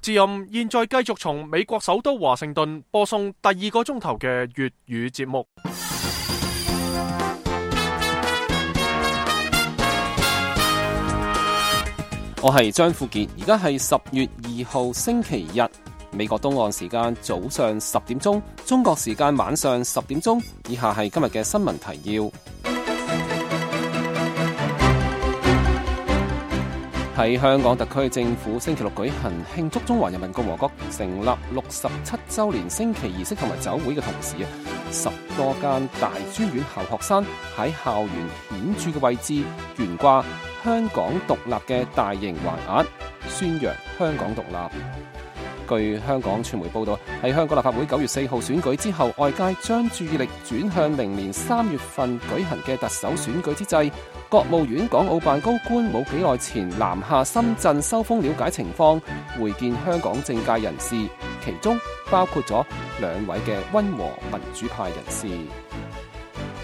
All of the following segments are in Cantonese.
之音現在繼續從美國首都華盛頓播送第2個鐘頭嘅粵語節目。我係張富傑，而家係10月2號星期日，美國東岸時間早上10點鐘，中國時間晚上10點鐘。以下係今日嘅新聞提要。喺香港特區政府星期六舉行慶祝中華人民共和國成立67週年升旗儀式同埋酒會嘅同時，10多間大專院校學生喺校園顯著嘅位置懸掛香港獨立嘅大型橫額，宣揚香港獨立。據香港傳媒報道，喺香港立法會9月4號選舉之後，外界將注意力轉向明年3月份舉行嘅特首選舉之際，國務院港澳辦高官冇幾耐前南下深圳收風了解情況，會見香港政界人士，其中包括咗2位嘅溫和民主派人士。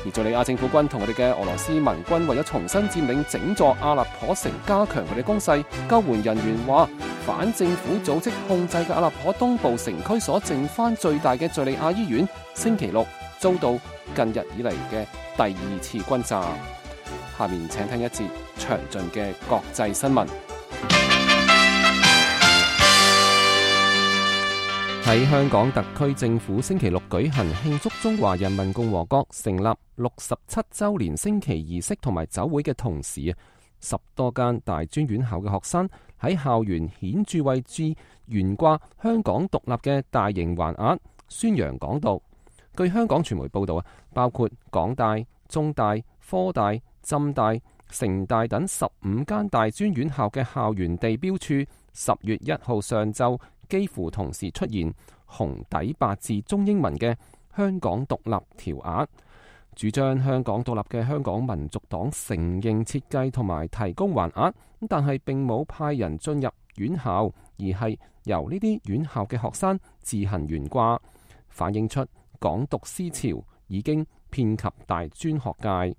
而敘利亞政府軍同佢哋嘅俄羅斯盟軍為咗重新佔領整座阿勒頗城，加強佢哋攻勢。救援人員話，反政府組織控制嘅阿勒頗東部城區所剩翻最大嘅敘利亞醫院，星期六遭到近日以嚟嘅第2次轟炸。下面請聽一節詳盡嘅國際新聞。喺香港特區政府星期六舉行慶祝中華人民共和國成立67週年升旗儀式同埋酒會嘅同時，10多間大專院校嘅學生喺校園顯著位置懸掛香港獨立嘅大型橫額，宣揚港獨。據香港傳媒報道，包括港大、中大、科大、浸大、城大等15間大專院校嘅校園地標處，10月1號上晝幾乎同時出現紅底白字中英文嘅香港獨立條額。主張香港獨立嘅香港民族黨承認設計同埋提供橫額，但係並冇派人進入院校，而係由呢啲院校嘅學生自行懸掛，反映出港獨思潮已經遍及大專學界。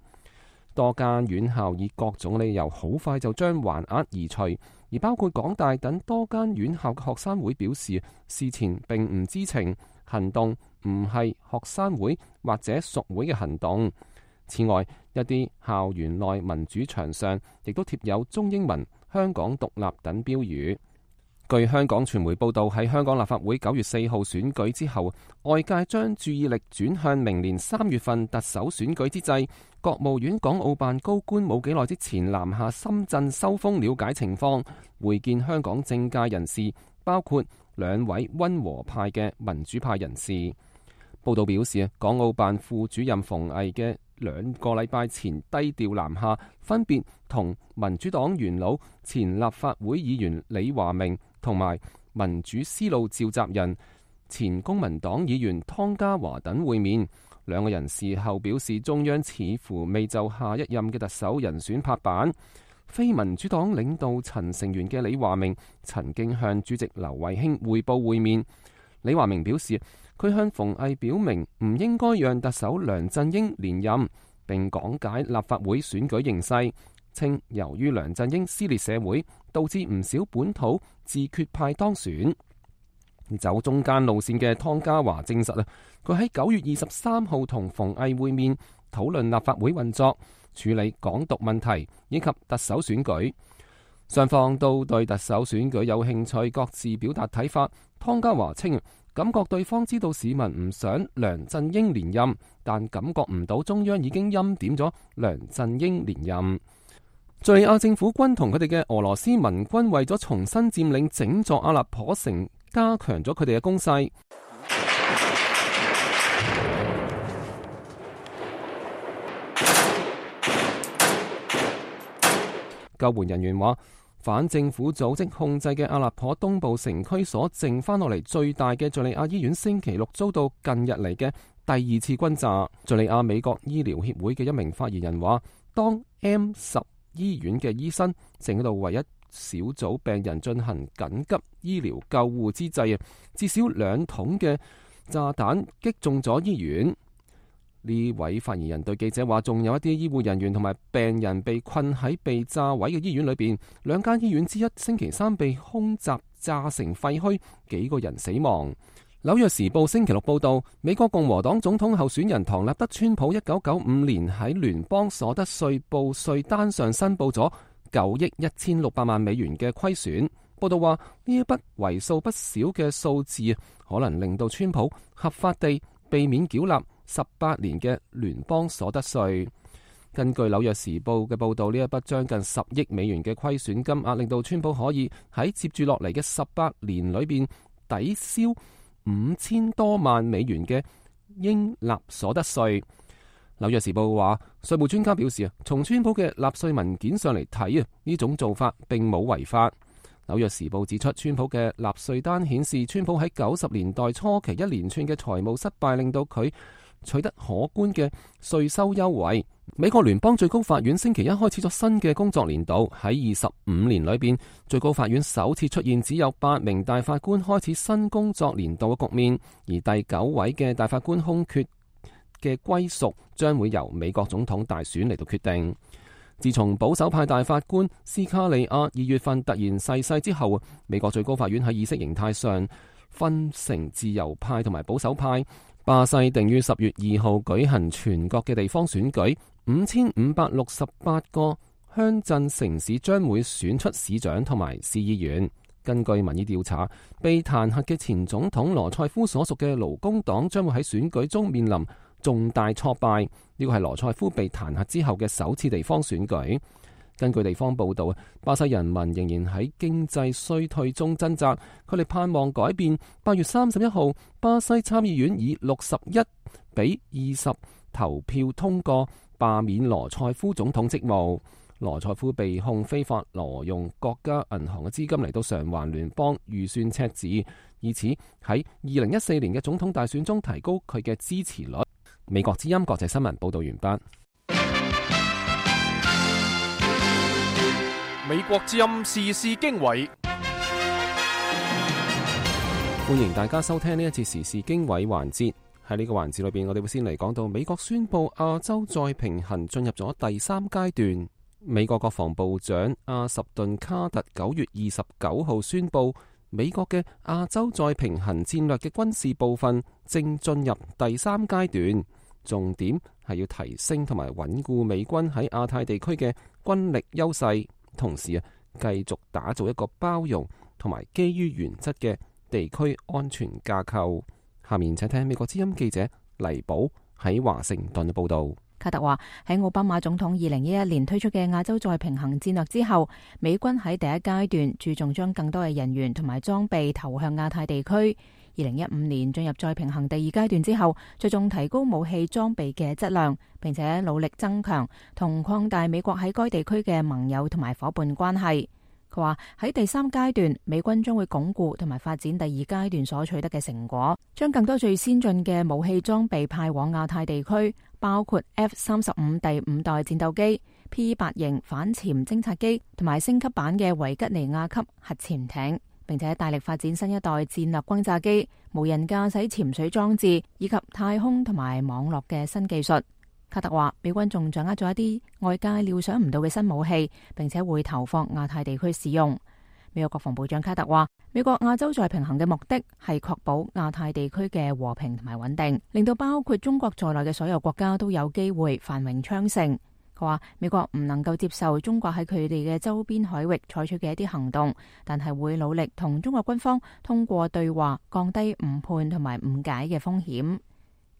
多間院校以各種理由好快就將橫額移除，而包括港大等多間院校嘅學生會表示，事前並唔知情，行動唔係學生會或者屬會嘅行動。此外，一啲校園內民主牆上亦都貼有中英文香港獨立等標語。據香港傳媒報道，喺香港立法會9月4號選舉之後，外界將注意力轉向明年3月份特首選舉之際，國務院港澳辦高官冇幾耐之前南下深圳收風了解情況，會見香港政界人士，包括2位溫和派嘅民主派人士。報道表示，港澳辦副主任馮毅嘅2個禮拜前低調南下，分別同民主黨元老、前立法會議員李華明同埋民主思路召集人、前公民黨議員湯家驊等會面。2個人事後表示，中央似乎未就下一任嘅特首人選拍板。非民主黨領導層成員嘅李華明曾經向主席劉慧卿匯報會面。李華明表示，佢向馮毅表明唔應該讓特首梁振英連任，並講解立法會選舉形勢，稱由於梁振英撕裂社會，導致唔少本土自決派當選。走中間路線嘅湯家驊證實佢喺9月23號同馮毅會面，討論立法會運作、處理港獨問題以及特首選舉。雙方都對特首選舉有興趣，各自表達睇法。湯家驊稱，感覺對方知道市民唔想梁振英連任，但感覺唔到中央已經欽點咗梁振英連任。敘利亞政府軍同佢哋嘅俄羅斯盟軍為咗重新佔領整座阿勒頗城，加強咗佢哋嘅攻勢。救援人員話，反政府組織控制嘅阿勒頗東部城區所剩翻落嚟最大嘅敘利亞醫院，星期六遭到近日嚟嘅第2次轟炸。敘利亞美國醫療協會嘅一名發言人話，當 M10 醫院嘅醫生正喺度為一小組病人進行緊急醫療救護之際，至少2桶嘅炸彈擊中咗醫院。呢位發言人對記者話，仲有一啲醫護人員同埋病人被困喺被炸毀嘅醫院裏邊。2間醫院之一星期3被空襲炸成廢墟，幾個人死亡。紐約時報星期六報道，美國共和黨總統候選人唐納德·川普1995年喺聯邦所得稅報稅單上申報咗9億1600萬美元嘅虧損。報道話，呢一筆為數不少嘅數字可能令到川普合法地避免繳納18年嘅聯邦所得稅。根據紐約時報嘅報道，呢一筆將近10億美元嘅虧損金額，令到川普可以喺接住落嚟嘅18年裏邊抵消5000多萬美元嘅應納所得稅。紐約時報話，稅務專家表示從川普嘅納稅文件上嚟睇呢種做法並冇違法。紐約時報指出，川普嘅納稅單顯示，川普喺90年代初期一連串嘅財務失敗，令到佢取得可觀嘅稅收優惠。美國聯邦最高法院星期一開始咗新嘅工作年度，喺25年裏邊，最高法院首次出現只有8名大法官開始新工作年度嘅局面，而第9位嘅大法官空缺嘅歸屬將會由美國總統大選嚟到決定。自從保守派大法官斯卡利亞2月份突然逝世之後，美國最高法院喺意識形態上分成自由派同埋保守派。巴西定於10月2號舉行全國嘅地方選舉，5568個鄉鎮城市將會選出市長同埋市議員。根據民意調查，被彈劾嘅前總統羅塞夫所屬嘅勞工黨將會喺選舉中面臨重大挫敗。呢個係羅塞夫被彈劾之後嘅首次地方選舉。根據地方報道，巴西人民仍然喺經濟衰退中掙扎，佢哋盼望改變。8月31號，巴西參議院以61-20投票通過罷免羅塞夫總統職務。羅塞夫被控非法挪用國家銀行嘅資金嚟到償還聯邦預算赤字，以此喺2014年嘅總統大選中提高佢嘅支持率。美國之音國際新聞報道完畢。美國之音時事經緯，歡迎大家收聽呢一節時事經緯環節。喺呢個環節裏邊，我哋會先嚟講到美國宣布亞洲再平衡進入咗第3階段。美國國防部長阿什頓卡特9月29號宣布，美國嘅亞洲再平衡戰略嘅軍事部分正進入第3階段，重點係要提升同埋穩固美軍喺亞太地區嘅軍力優勢。同時繼續打造一個包容同埋基於原則嘅地區安全架構。下面請聽美國之音記者黎寶喺華盛頓嘅報道。卡特話，喺奧巴馬總統2011年推出嘅亞洲再平衡戰略之後，美軍喺第一階段注重將更多嘅人員同埋裝備投向亞太地區。2015年進入再平衡第2階段之後，着重提高武器裝備嘅質量，並且努力增強同擴大美國喺該地區嘅盟友同埋夥伴關係。佢話喺第3階段，美軍將會鞏固同埋發展第2階段所取得嘅成果，將更多最先進嘅武器裝備派往亞太地區，包括 F-35第5代戰鬥機、P-8型反潛偵察機同埋升級版嘅維吉尼亞級核潛艇。並且大力發展新一代戰略轟炸機、無人駕駛潛水裝置以及太空同埋網絡嘅新技術。卡特話，美軍仲掌握咗一啲外界料想唔到嘅新武器，並且會投放亞太地區使用。美國國防部長卡特話，美國亞洲再平衡嘅目的係確保亞太地區嘅和平同埋穩定，令到包括中國在內嘅所有國家都有機會繁榮昌盛。佢話美國唔能夠接受中國喺佢哋嘅周邊海域採取嘅一啲行動，但係會努力同中國軍方通過對話降低誤判同埋誤解嘅風險。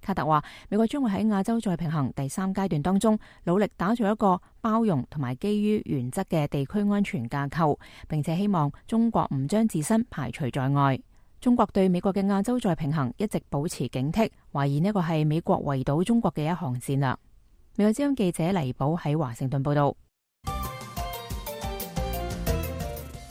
卡特話，美國將會喺亞洲再平衡第3階段當中努力打造一個包容同埋基於原則嘅地區安全架構，並且希望中國唔將自身排除在外。中國對美國嘅亞洲再平衡一直保持警惕，懷疑呢個係美國圍堵中國嘅一項戰略。美國之音記者黎寶喺華盛頓報道。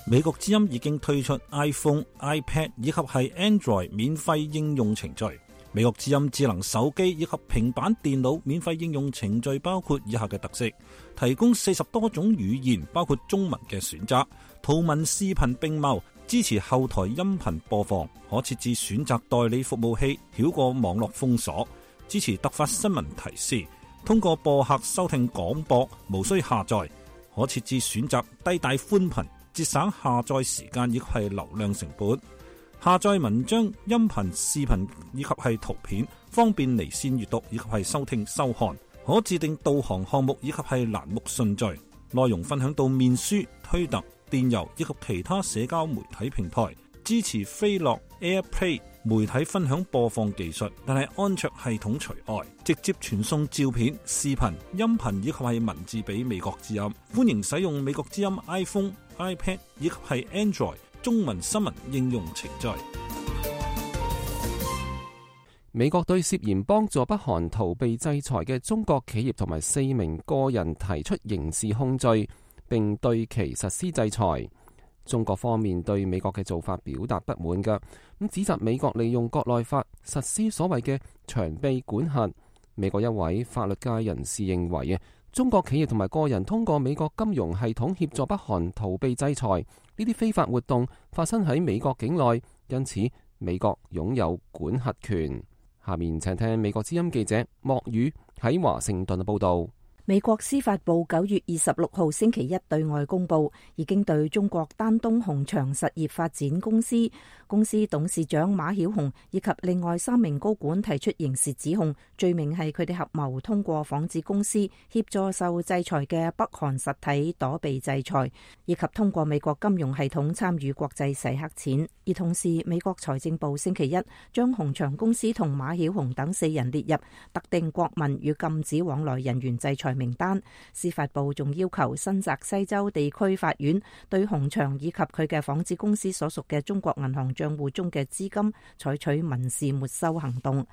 美國之音已經推出 iPhone、iPad 以及係 Android 免費應用程序。美國之音智能手機以及平板電腦免費應用程序包括以下嘅特色：提供40多種語言，包括中文嘅選擇，圖文視頻並茂，支持後台音頻播放，可設置選擇代理服務器，繞過網絡封鎖，支持突發新聞提示。通過播客收聽廣播，無需下載，可設置選擇低帶寬頻，節省下載時間以及係流量成本。下載文章、音頻、視頻以及係圖片，方便離線閱讀以及係收聽收看。可自定導航項目以及係欄目順序。內容分享到面書、推特、電郵以及其他社交媒體平台。支持飛樂 AirPlay 媒體分享播放技術，但係安卓系統除外。直接傳送照片、視頻、音頻以及係文字俾美國之音。歡迎使用美國之音 iPhone、iPad 以及係 Android 中文新聞應用程序。美國對涉嫌幫助北韓逃避制裁嘅中國企業同埋4名個人提出刑事控罪，並對其實施制裁。中國方面對美國嘅做法表達不滿嘅，咁指責美國利用國內法實施所謂嘅長臂管轄。美國一位法律界人士認為中國企業同埋個人通過美國金融系統協助北韓逃避制裁，呢啲非法活動發生喺美國境內，因此美國擁有管轄權。下面請聽美國之音記者莫宇喺華盛頓嘅報道。美國司法部9月26號星期一對外公佈，已經對中國丹東紅場實業發展公司董事長馬曉紅以及另外3名高管提出刑事指控，罪名係佢哋合謀通過仿製公司協助受制裁嘅北韓實體躲避制裁，以及通過美國金融系統參與國際洗黑錢。而同時，美國財政部星期一將紅場公司同馬曉紅等4人列入特定國民與禁止往來人員制裁名單。司法部仲要求新澤西州地區法院對紅場以及佢嘅仿製公司所屬嘅中國銀行賬戶中嘅資金採取民事沒收行動。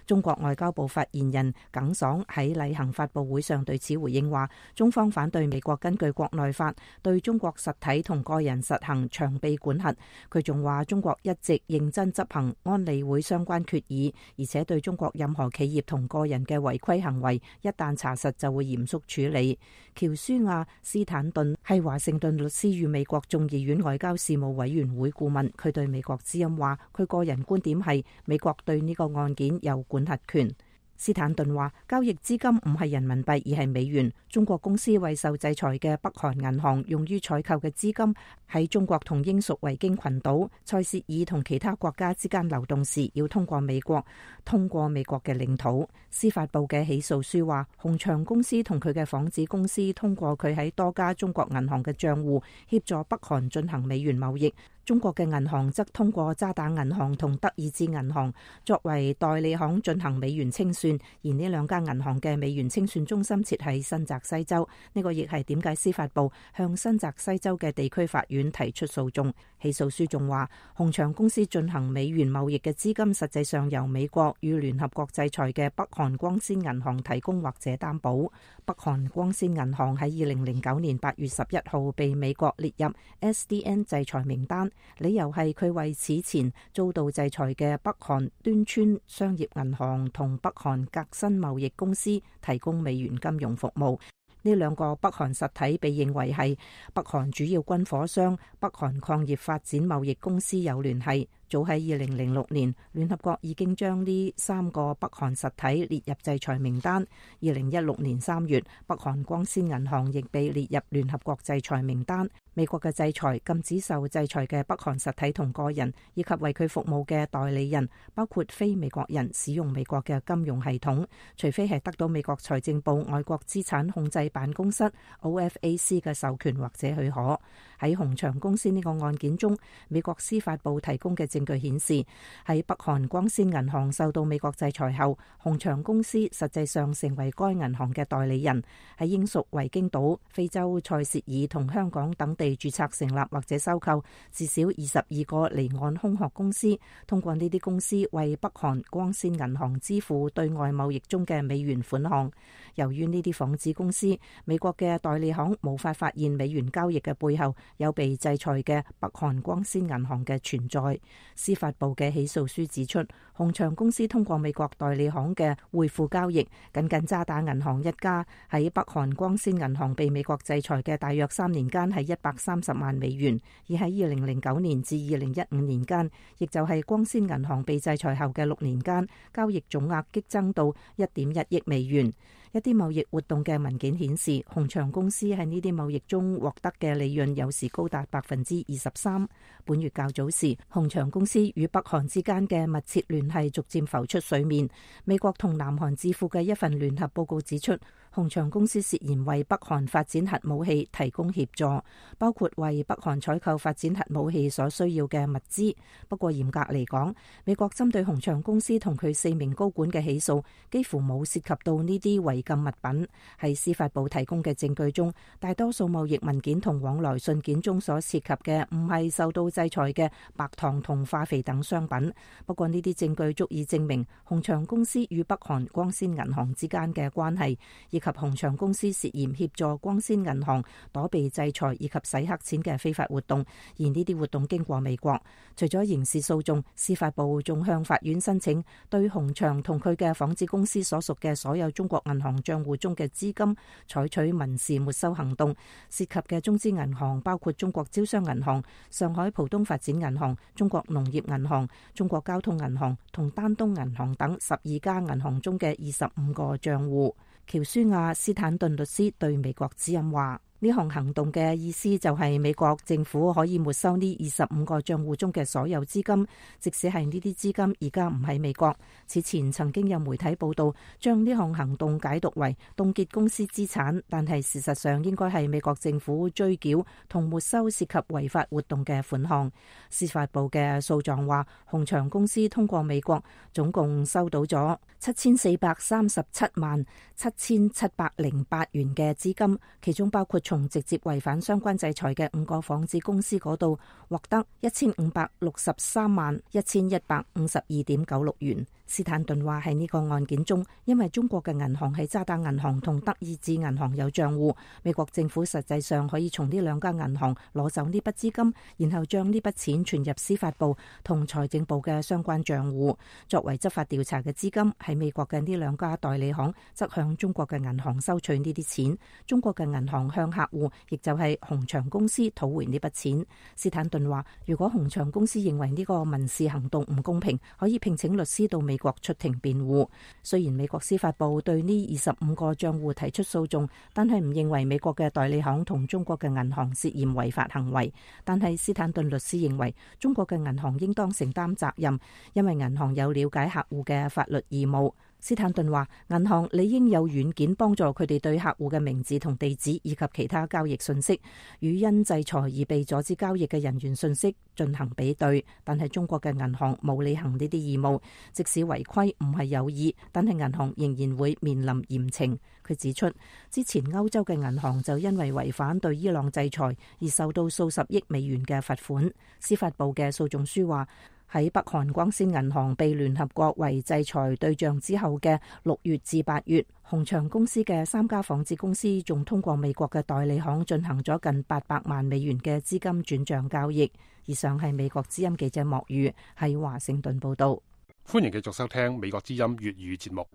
中國外交部發言人耿爽喺例行發佈會上對此回應話，中方反對美國根據國內法對中國實體同個人實行長臂管轄。佢仲話，中國一直認真執行安理會相關決議，而且對中國任何企業同個人嘅違規行為，一旦查實就會嚴肅處理。喬舒亞·斯坦頓係華盛頓律師與美國眾議院外交事務委員會顧問，佢對美國之音話，佢個人觀點係美國對呢個案件有管轄權。斯坦頓話，交易資金唔係人民幣而係美元。中國公司為受制裁嘅北韓銀行用於採購嘅資金喺中國同英屬維京群島、塞舌爾同其他國家之間流動時，要通過美國嘅領土。司法部嘅起訴書話，紅場公司同佢嘅仿製公司通過佢喺多家中國銀行嘅賬戶協助北韓進行美元貿易。中國嘅銀行則通過渣打銀行同德意志銀行作為代理行進行美元清算，而呢2家銀行嘅美元清算中心設喺新澤西州。呢個亦係點解司法部向新澤西州嘅地區法院提出訴訟。起訴書仲話，紅場公司進行美元貿易嘅資金實際上由美國與聯合國制裁嘅北韓光鮮銀行提供或者擔保。北韓光鮮銀行喺2009年8月11號被美國列入 SDN 制裁名單，理由係佢為此前遭到制裁嘅北韓端村商業銀行同北韓革新貿易公司提供美元金融服務。呢2個北韓實體被認為係北韓主要軍火商北韓礦業發展貿易公司有聯繫。早喺2006年，聯合國已經將呢3個北韓實體列入制裁名單。2016年3月，北韓光鮮銀行亦被列入聯合國制裁名單。美國嘅制裁禁止受制裁嘅北韓實體同個人，以及為佢服務嘅代理人，包括非美國人使用美國嘅金融系統，除非係得到美國財政部外國資產控制辦公室 OFAC 嘅授權或者許可。喺紅場公司呢個案件中，美國司法部提供嘅證據顯示，喺北韓光鮮銀行受到美國制裁後，紅場公司實際上成為該銀行嘅代理人，喺英屬維京島、非洲塞舌爾同香港等地註冊成立或者收購至少22個離岸空殼公司，通過呢啲公司為北韓光鮮銀行支付對外貿易中嘅美元款項。由於呢啲仿製公司，美國嘅代理行無法發現美元交易嘅背後有被制裁嘅北韓光鮮銀行嘅存在。司法部嘅起訴書指出，紅場公司通過美國代理行嘅匯付交易，僅渣打銀行一家喺北韓光鮮銀行被美國制裁嘅大約3年間係130萬美元，而喺2009年至2015年間，亦就係光鮮銀行被制裁後嘅6年間，交易總額激增到1.1億美元。一啲貿易活動嘅文件顯示，鴻祥公司喺呢啲貿易中獲得嘅利潤有時高達23%。本月較早時，鴻祥公司與北韓之間嘅密切聯繫逐漸浮出水面。美國同南韓智庫嘅一份聯合報告指出，鴻祥公司涉嫌為北韓發展核武器提供協助，包括為北韓採購發展核武器所需要嘅物資。不過嚴格嚟講，美國針對鴻祥公司同佢4名高管嘅起訴幾乎冇涉及到呢啲違禁物品。喺司法部提供嘅證據中，大多數貿易文件同往來信件中所涉及嘅唔係受到制裁嘅白糖同化肥等商品。不過呢啲證據足以證明鴻祥公司與北韓光鮮銀行之間嘅關係，以及鴻祥公司涉嫌協助光鮮銀行躲避制裁以及洗黑錢嘅非法活動，而呢啲活動經過美國。除咗刑事訴訟，司法部仲向法院申請對鴻祥同佢嘅仿製公司所屬嘅所有中國銀行賬戶中嘅資金採取民事沒收行動，涉及嘅中資銀行包括中國招商銀行、上海浦東發展銀行、中國農業銀行、中國交通銀行同丹東銀行等12家銀行中嘅25個賬戶。喬舒亞斯坦頓律師對美國之音話：呢項行動嘅意思就係美國政府可以沒收呢25個賬戶中嘅所有資金，即使係呢啲資金而家唔喺美國。此前曾經有媒體報道將呢項行動解讀為凍結公司資產，但係事實上應該係美國政府追繳同沒收涉及違法活動嘅款項。司法部嘅訴狀話，鴻祥公司通過美國總共收到咗7437萬7708元嘅資金，其中包括從直接違反相關制裁嘅5個仿製公司嗰度獲得1563萬1152.96元。斯坦頓話喺呢個案件中，因為中國嘅銀行喺渣打銀行同德意志銀行有賬戶，美國政府實際上可以從呢兩家銀行攞走呢筆資金，然後將呢筆錢存入司法部同財政部嘅相關賬戶，作為執法調查嘅資金。喺美國嘅呢兩家代理行則向中國嘅銀行收取呢啲錢，中國嘅銀行向客戶，亦就係鴻祥公司討回呢筆錢。斯坦頓話，如果鴻祥公司認為呢個民事行動唔公平，可以聘請律師到美國出庭辯護。雖然美國司法部對呢25個賬戶提出訴訟，但係唔認為美國嘅代理行同中國嘅銀行涉嫌違法行為。但係斯坦頓律師認為，中國嘅銀行應當承擔責任，因為銀行有了解客戶嘅法律義務。斯坦頓話，銀行理應有軟件幫助佢哋對客戶嘅名字同地址以及其他交易信息與因制裁而被阻止交易嘅人員信息進行比對。但係中國嘅銀行冇履行呢啲義務，即使違規唔係有意，但係銀行仍然會面臨嚴懲。佢指出，之前歐洲嘅銀行就因為違反對伊朗制裁而受到數十億美元嘅罰款。司法部嘅訴訟書話，喺北韓光鮮銀行被聯合國為制裁對象之後嘅6月至8月，鴻祥公司嘅3家仿製公司仲通過美國嘅代理行進行咗近800萬美元嘅資金轉賬交易。以上係美國之音記者莫宇喺華盛頓報道。歡迎繼續收聽美國之音粵語節目。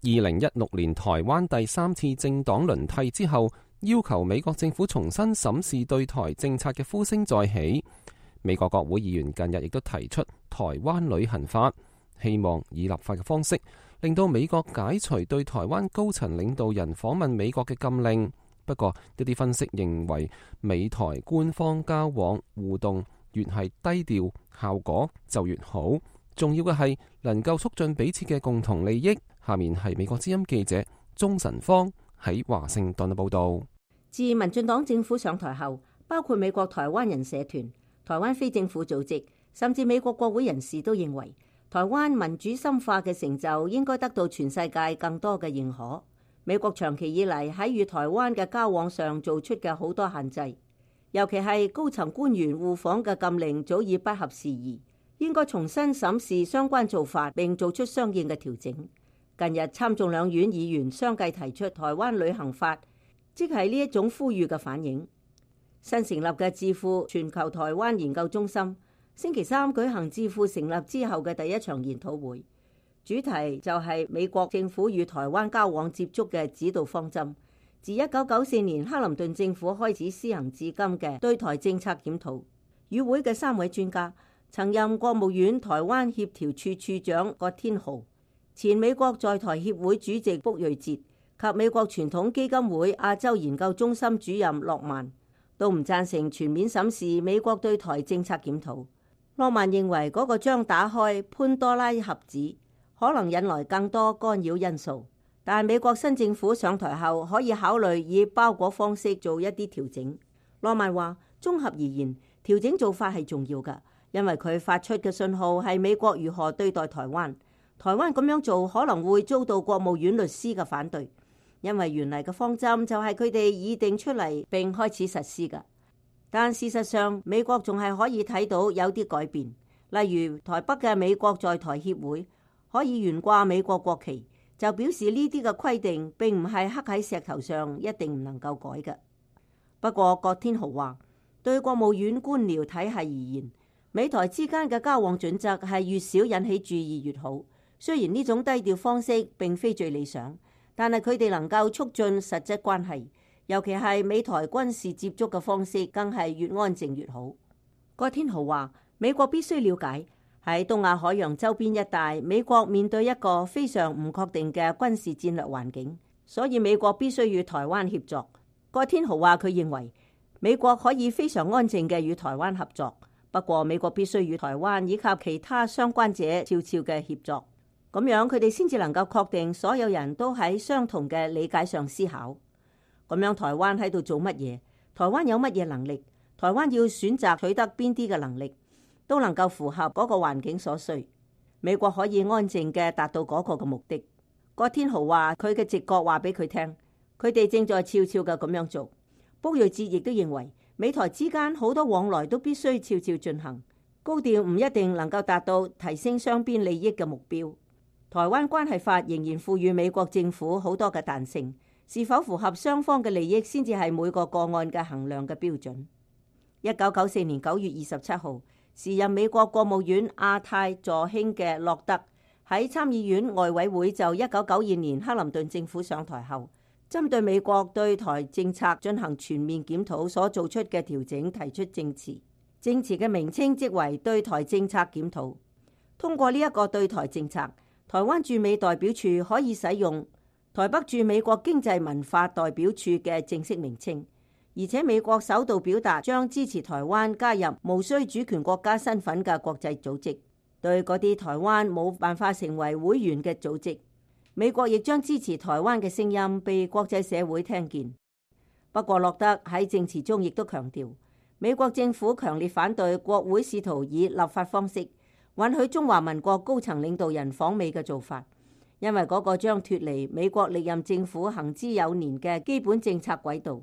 2016年台灣第3次政黨輪替之後，要求美國政府重新審視對台政策嘅呼聲再起。美國國會議員近日亦都提出台灣旅行法，希望以立法嘅方式令到美國解除對台灣高層領導人訪問美國嘅禁令。不過一啲分析認為，美台官方交往互動越係低調，效果就越好。重要嘅係能夠促進彼此嘅共同利益。下面係美國之音記者鍾晨芳喺華盛頓嘅報道。自民進黨政府上台後，包括美國台灣人社團、台灣非政府組織，甚至美國國會人士都認為，台灣民主深化嘅成就應該得到全世界更多嘅認可。美國長期以嚟喺與台灣嘅交往上做出嘅好多限制，尤其係高層官員互訪嘅禁令早已不合時宜，應該重新審視相關做法並做出相應嘅調整。近日參眾兩院議員相繼提出台灣旅行法，即係呢一種呼籲嘅反應。新成立嘅智庫全球台灣研究中心星期三舉行智庫成立之後嘅第一場研討會，主題就係美國政府與台灣交往接觸嘅指導方針，自1994年克林頓政府開始施行至今嘅對台政策檢討。與會嘅3位專家曾任國務院台灣協調處處長葛天豪、前美國在台協會主席卜瑞哲及美國傳統基金會亞洲研究中心主任諾曼都唔贊成全面審視美國對台政策檢討。諾曼認為嗰個將打開潘多拉盒子，可能引來更多干擾因素。但美國新政府上台後，可以考慮以包裹方式做一啲調整。諾曼話：綜合而言，調整做法係重要㗎，因為佢發出嘅信號係美國如何對待台灣。台灣咁樣做可能會遭到國務院律師嘅反對，因為原嚟嘅方針就係佢哋擬定出嚟並開始實施㗎。但事實上，美國仲係可以睇到有啲改變，例如台北嘅美國在台協會可以懸掛美國國旗，就表示呢啲嘅規定並唔係刻喺石頭上，一定唔能夠改嘅。不過葛天豪話，對國務院官僚體系而言，美台之間嘅交往準則係越少引起注意越好。雖然呢種低調方式並非最理想，但係佢哋能夠促進實質關係，尤其係美台軍事接觸嘅方式，更係越安靜越好。葛天豪話，美國必須了解喺東亞海洋周邊一帶，美國面對一個非常唔確定嘅軍事戰略環境，所以美國必須與台灣協作。葛天豪話，佢認為美國可以非常安靜嘅與台灣合作，不過美國必須與台灣以及其他相關者悄悄嘅協作。咁樣佢哋先至能夠確定所有人都喺相同嘅理解上思考。咁樣台灣喺度做乜嘢？台灣有乜嘢能力？台灣要選擇取得邊啲嘅能力，都能夠符合嗰個環境所需。美國可以安靜嘅達到嗰個嘅目的。葛天豪話佢嘅直覺話俾佢聽，佢哋正在悄悄嘅咁樣做。卜瑞哲亦都認為美台之間好多往來都必須悄悄進行，高調唔一定能夠達到提升雙邊利益嘅目標。台灣關係法仍然賦予美國政府好多嘅彈性，是否符合雙方嘅利益先至係每個個案嘅衡量嘅標準。1994年9月27號，時任美國國務院亞太助卿嘅洛德喺參議院外委會就1992年克林頓政府上台後，針對美國對台政策進行全面檢討所做出嘅調整提出證詞，證詞嘅名稱即為對台政策檢討。通過呢一個對台政策，台灣駐美代表處可以使用台北駐美國經濟文化代表處嘅正式名稱，而且美國首度表達將支持台灣加入無需主權國家身份嘅國際組織。對嗰啲台灣冇辦法成為會員嘅組織，美國亦將支持台灣嘅聲音被國際社會聽見。不過洛德喺證詞中亦都強調，美國政府強烈反對國會試圖以立法方式允許中華民國高層領導人訪美嘅做法，因為嗰個將脫離美國歷任政府行之有年嘅基本政策軌道，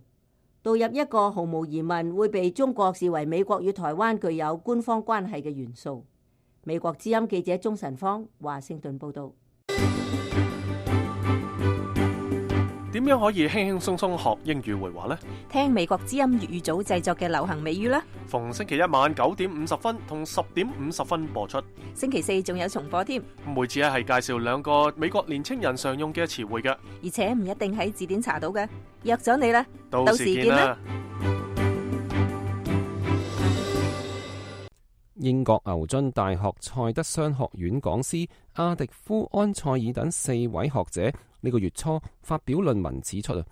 導入一個毫無疑問會被中國視為美國與台灣具有官方關係嘅元素。美國之音記者鍾晨芳華盛頓報道。點樣可以輕輕鬆鬆學英語會話呢？聽美國之音粵語組製作嘅流行美語啦。逢星期一晚9點50分同10點50分播出。星期四仲有重播添。每次係介紹2個美國年青人常用嘅詞彙嘅，而且唔一定喺字典查到嘅。約咗你啦，到時見啦。英國牛津大學塞德商學院講師阿迪夫安塞爾等4位學者呢個月初發表論文指出，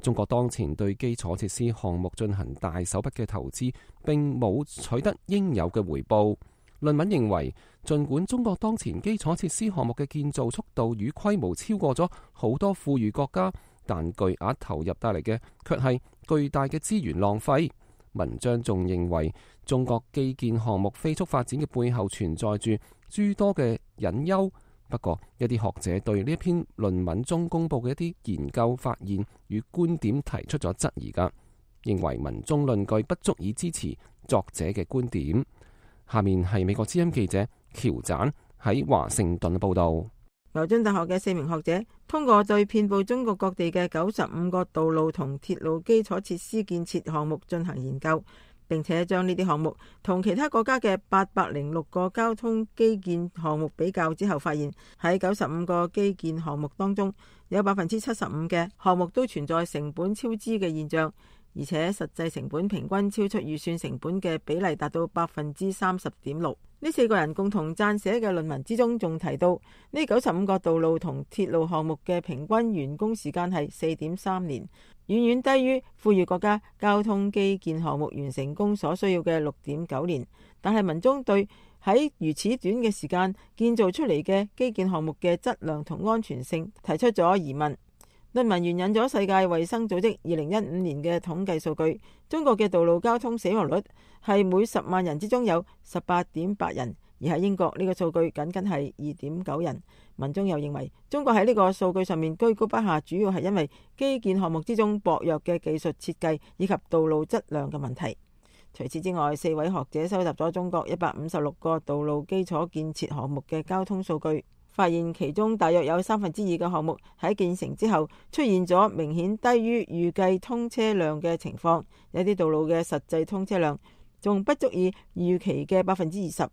中國當前對基礎設施項目進行大手筆嘅投資，並冇取得應有嘅回報。論文認為，儘管中國當前基礎設施項目嘅建造速度與規模超過咗好多富裕國家，但巨額投入帶嚟嘅卻係巨大嘅資源浪費。文章仲認為，中國基建項目飛速發展嘅背後存在住諸多嘅隱憂。不過，一啲學者對呢一篇論文中公布嘅一啲研究發現與觀點提出咗質疑㗎，認為文中論據不足以支持作者嘅觀點。下面係美國之音記者喬盞喺華盛頓報道。牛津大學嘅4名學者通過對遍佈中國各地嘅95個道路同鐵路基礎設施建設項目進行研究，並且將呢啲項目同其他國家嘅806個交通基建項目比較之後，發現喺95個基建項目當中，有75%嘅項目都存在成本超支嘅現象，而且實際成本平均超出預算成本嘅比例達到30.6%。呢4個人共同撰寫嘅論文之中，仲提到呢95個道路同鐵路項目嘅平均完工時間係4.3年，遠遠低於富裕國家交通基建項目完成工所需要嘅6.9年。但係文中對喺如此短嘅時間建造出嚟嘅基建項目嘅質量同安全性提出咗疑問。論文援引咗世界衛生組織2015年嘅統計數據，中國嘅道路交通死亡率係每10萬人之中有18.8人，而喺英國呢個數據僅僅係2.9人。文中又認為中國喺呢個數據上面居高不下，主要係因為基建項目之中薄弱嘅技術設計以及道路質量嘅問題。除此之外，4位學者收集咗中國156個道路基礎建設項目嘅交通數據，發現其中大約有2/3嘅項目喺建成之後出現咗明顯低於預計通車量嘅情況，有啲道路嘅實際通車量仲不足以預期嘅20%。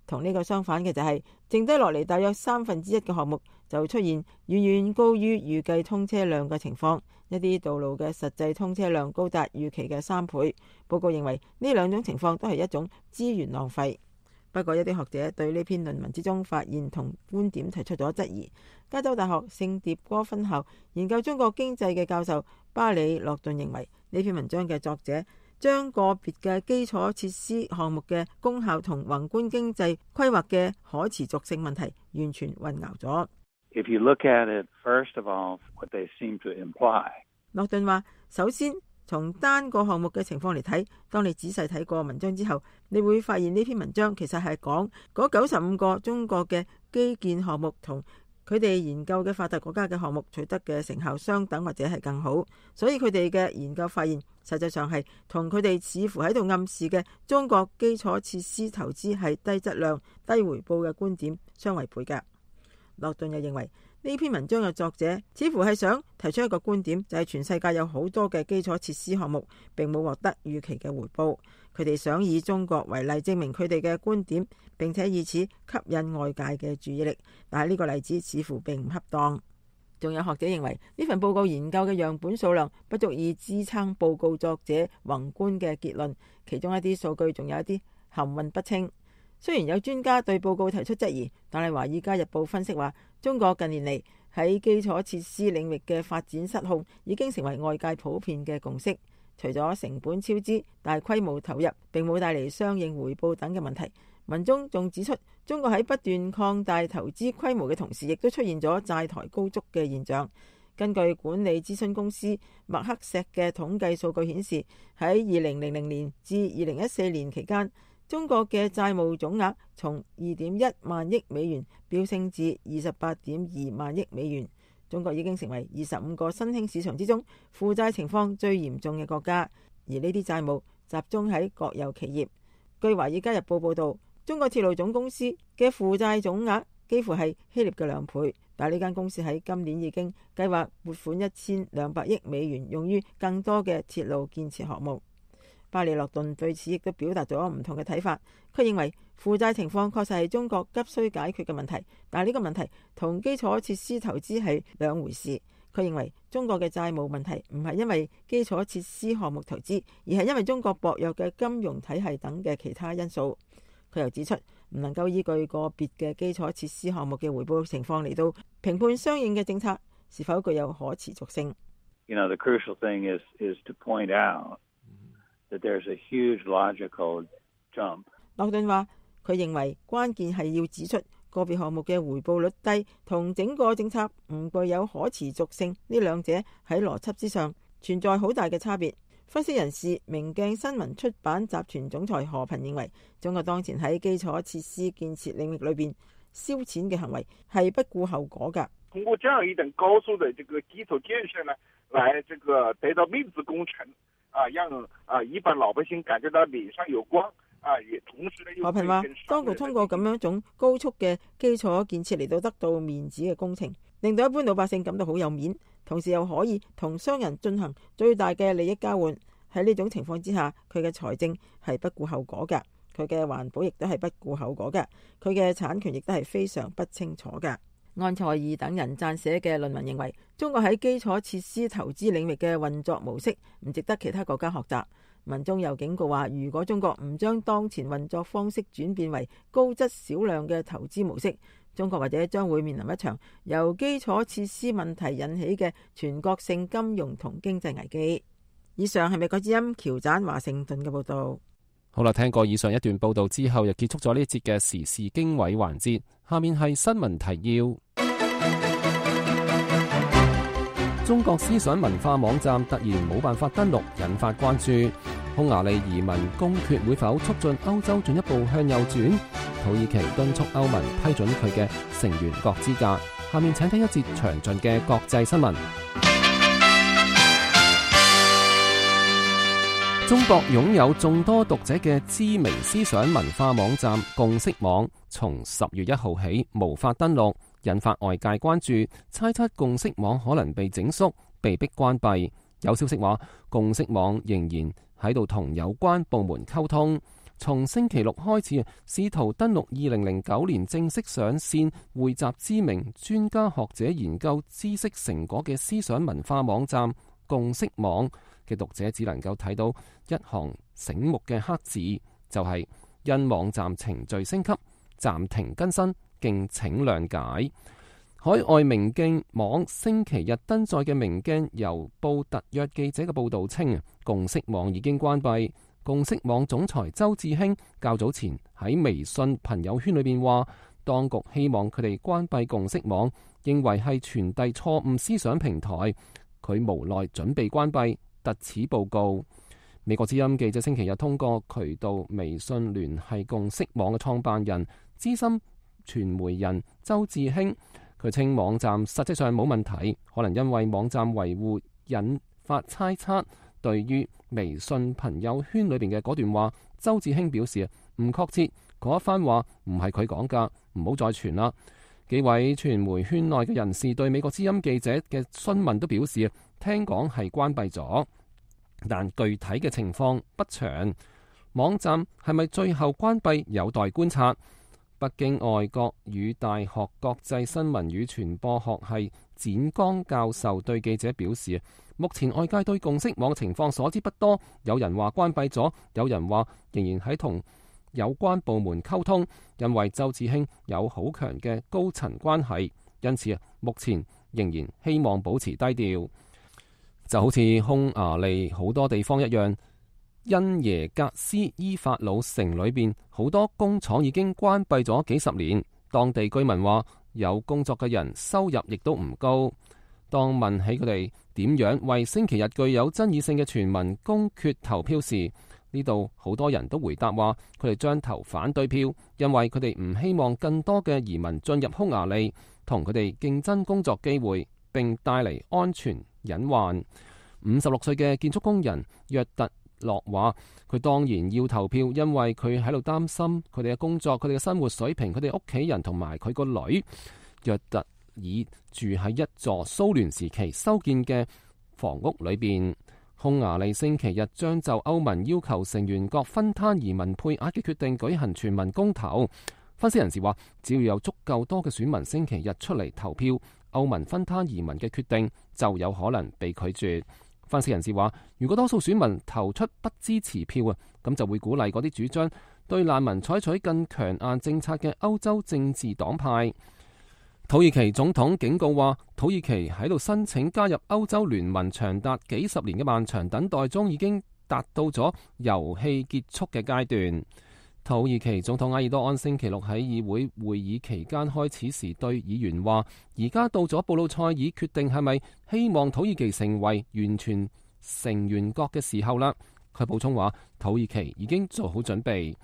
同呢個相反嘅就係，剩低落嚟大約1/3嘅項目就出現遠遠高於預計通車量嘅情況，一啲道路嘅實際通車量高達預期嘅3倍。報告認為呢兩種情況都係一種資源浪費。不過一啲學者對呢篇論文之中發現同觀點提出咗質疑。加州大學聖迭戈分校研究中國經濟嘅教授巴里洛頓認為，呢篇文章嘅作者將個別嘅基礎設施項目嘅功效同宏觀經濟規劃嘅可持續性問題完全混淆咗。If you look at it, first of all, what they seem to imply. 洛頓話，首先從單個項目嘅情況嚟睇，當你仔細睇過文章之後，你會發現呢篇文章其實係講嗰95個中國嘅基建項目同佢哋研究嘅發達國家嘅項目取得嘅成效相等或者係更好，所以佢哋嘅研究發現實際上係同佢哋似乎喺度暗示嘅中國基礎設施投資係低質量、低回報嘅觀點相違背嘅。洛頓又認為呢篇文章嘅作者似乎係想提出一個觀點，就係全世界有好多嘅基礎設施項目並冇獲得預期嘅回報，佢哋想以中國為例證明佢哋嘅觀點，並且以此吸引外界嘅注意力，但係呢個例子似乎並唔恰當。仲有學者認為呢份報告研究嘅樣本數量不足以支撐報告作者宏觀嘅結論，其中一啲數據仲有一啲含混不清。雖然有專家對報告提出質疑，但係《華爾街日報》分析話，中國近年嚟喺基礎設施領域嘅發展失控已經成為外界普遍嘅共識。除咗成本超支、大規模投入並冇帶嚟相應回報等嘅問題，文中仲指出，中國喺不斷擴大投資規模嘅同時，亦都出現咗債台高築嘅現象。根據管理諮詢公司麥克錫嘅統計數據顯示，喺2000年至2014年期間，中國嘅債務總額從2.1萬億美元飆升至28.2萬億美元。中國已經成為25個新興市場之中負債情況最嚴重嘅國家，而呢啲債務集中喺國有企業。據《華爾街日報》報導，中國鐵路總公司嘅負債總額幾乎係希臘嘅2倍，但係呢間公司喺今年已經計劃撥款1200億美元用於更多嘅鐵路建設項目。巴里洛頓對此亦都表達咗唔同嘅睇法。佢認為負債情況確實係中國急需解決嘅問題，但係呢個問題同基礎設施投資係兩回事。佢認為中國嘅債務問題唔係因為基礎設施項目投資，而係因為中國薄弱嘅金融體系等嘅其他因素。佢又指出，唔能夠依據個別嘅基礎設施項目嘅回報情況嚟到評判相應嘅政策是否具有可持續性。The crucial thing is to point out that there's a huge logical jump. 洛頓話，佢認為關鍵係要指出個別項目嘅回報率低同整個政策唔具有可持續性，呢兩者喺邏輯之上存在好大嘅差別。分析人士明鏡新聞出版集團總裁何蘋認為，中國當前喺基礎設施建設領域裏邊燒錢嘅行為係不顧後果㗎。通過這樣一等高速的這個基礎建設呢，來這個得到面子工程啊，讓一般老百姓感覺到臉上有光啊，也同時呢。何蘋話，當局通過咁樣一種高速嘅基礎建設嚟到得到面子嘅工程，令到一般老百姓感到好有面，同時又可以同商人進行最大嘅利益交換。喺呢種情況之下，佢嘅財政係不顧後果㗎，佢嘅環保亦都係不顧後果㗎，佢嘅產權亦都係非常不清楚㗎。安塞爾等人撰寫嘅論文認為，中國喺基礎設施投資領域嘅運作模式唔值得其他國家學習。民眾又警告話，如果中國唔將當前運作方式轉變為高質少量嘅投資模式，中國或者將會面臨一場由基礎設施問題引起嘅全國性金融同經濟危機。以上係美國之音喬盞華盛頓嘅報道。好啦，聽過以上一段報道之後，又結束咗呢一節嘅時事經緯環節。下面係新聞提要。中國思想文化網站突然冇辦法登錄，引發關注。匈牙利移民公決會否促進歐洲進一步向右轉？土耳其敦促歐盟批准佢嘅成員國資格。下面請聽一節詳盡嘅國際新聞。中國擁有眾多讀者嘅知名思想文化網站共識網，從10月1號起無法登錄，引發外界關注，猜測共識網可能被整肅，被迫關閉。有消息話，共識網仍然喺度同有關部門溝通，從星期六開始試圖登錄2009年正式上線、匯集知名專家學者研究知識成果嘅思想文化網站共識網嘅讀者只能夠睇到一行醒目嘅黑字，就係因網站程序升級，暫停更新，敬請諒解。海外明鏡網星期日登載嘅明鏡郵報特約記者嘅報道稱，共識網已經關閉。共識網總裁周志興較早前喺微信朋友圈裏邊話，當局希望佢哋關閉共識網，認為係傳遞錯誤思想平台，佢無奈準備關閉，特此報告。美國之音記者星期日通過渠道微信聯繫共識網嘅創辦人、資深傳媒人周志興，佢稱網站實際上冇問題，可能因為網站維護引發猜測。對於微信朋友圈裏邊嘅嗰段話，周志興表示唔確切，嗰一番話唔係佢講噶，唔好再傳啦。幾位傳媒圈內嘅人士對美國之音記者嘅詢問都表示，聽講係關閉咗，但具體嘅情況不詳。網站係咪最後關閉有待觀察。北京外國語大學國際新聞與傳播學系展剛教授對記者表示，目前外界對共識網情況所知不多，有人話關閉咗，有人話仍然喺同有關部門溝通，因為周志興有好強嘅高層關係，因此目前仍然希望保持低調。就好似匈牙利好多地方一樣，因耶格斯伊法魯城裏邊好多工廠已經關閉咗幾十年，當地居民話有工作嘅人收入亦都唔高。當問起佢哋點樣為星期日具有爭議性嘅全民公決投票時，呢度好多人都回答話佢哋將投反對票，因為佢哋唔希望更多嘅移民進入匈牙利，同佢哋競爭工作機會，並帶嚟安全隱患。56歲嘅建築工人約特洛話，佢當然要投票，因為佢喺度擔心佢哋嘅工作、佢哋嘅生活水平、佢哋屋企人同埋佢個女。約特爾住喺一座蘇聯時期修建嘅房屋裏邊。匈牙利星期日將就歐盟要求成員國分攤移民配額嘅決定舉行全民公投。分析人士話，只要有足夠多嘅選民星期日出嚟投票，歐盟分攤移民嘅決定就有可能被拒絕。分析人士話，如果多數選民投出不支持票啊，咁就會鼓勵嗰啲主張對難民採取更強硬政策嘅歐洲政治黨派。土耳其總統警告話，土耳其喺度申請加入歐洲聯盟長達幾十年嘅漫長等待中，已經達到咗遊戲結束嘅階段。土耳其總統埃爾多安星期六喺議會會議期間開始時對議員話，而家到咗布魯塞爾決定係咪希望土耳其成為完全成員國嘅時候啦。佢補充話，土耳其已經做好準備。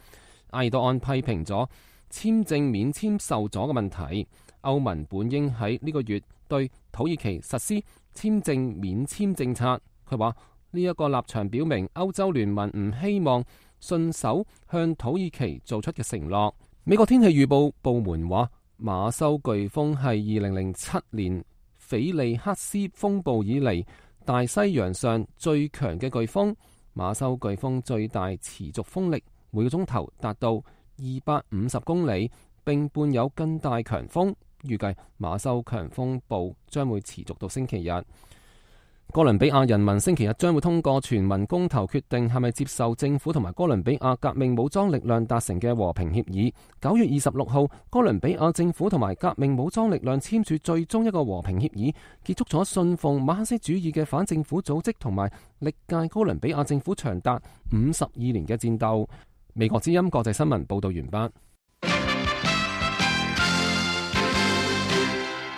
埃爾多安批評咗簽證免簽受阻嘅問題。歐盟本應喺呢個月對土耳其實施簽證免簽政策。佢話呢一個立場表明歐洲聯盟唔希望信守向土耳其做出嘅承諾。美國天氣預報部門話，馬修颶風係2007年菲利克斯風暴以嚟大西洋上最強嘅颶風。馬修颶風最大持續風力每個鐘頭達到250公里，並伴有更大強風。預計馬修強風暴將會持續到星期日。哥倫比亞人民星期日將會通過全民公投，決定係咪接受政府同埋哥倫比亞革命武裝力量達成嘅和平協議。9月26號，哥倫比亞政府同埋革命武裝力量簽署最終一個和平協議，結束咗信奉馬克思主義嘅反政府組織同埋歷屆哥倫比亞政府長達52年嘅戰鬥。美國之音國際新聞報道完畢。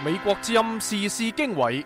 美國之音時事經緯。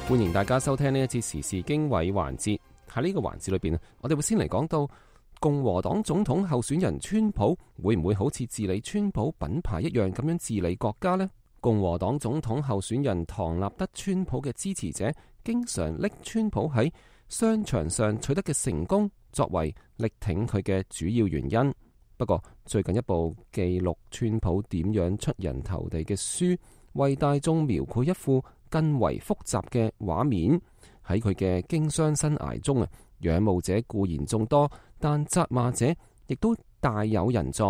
歡迎大家收聽呢一節時事經緯環節。喺呢個環節裏邊，我哋會先嚟講到共和黨總統候選人川普會唔會好似治理川普品牌一樣咁樣治理國家呢？共和黨總統候選人唐納德川普嘅支持者經常拎川普喺商場上取得嘅成功作為力挺佢嘅主要原因。不過最近一部記錄川普點樣出人頭地嘅書，為大眾描繪一副更為複雜嘅畫面。喺佢嘅經商生涯中仰慕者固然眾多，但責罵者亦都大有人在。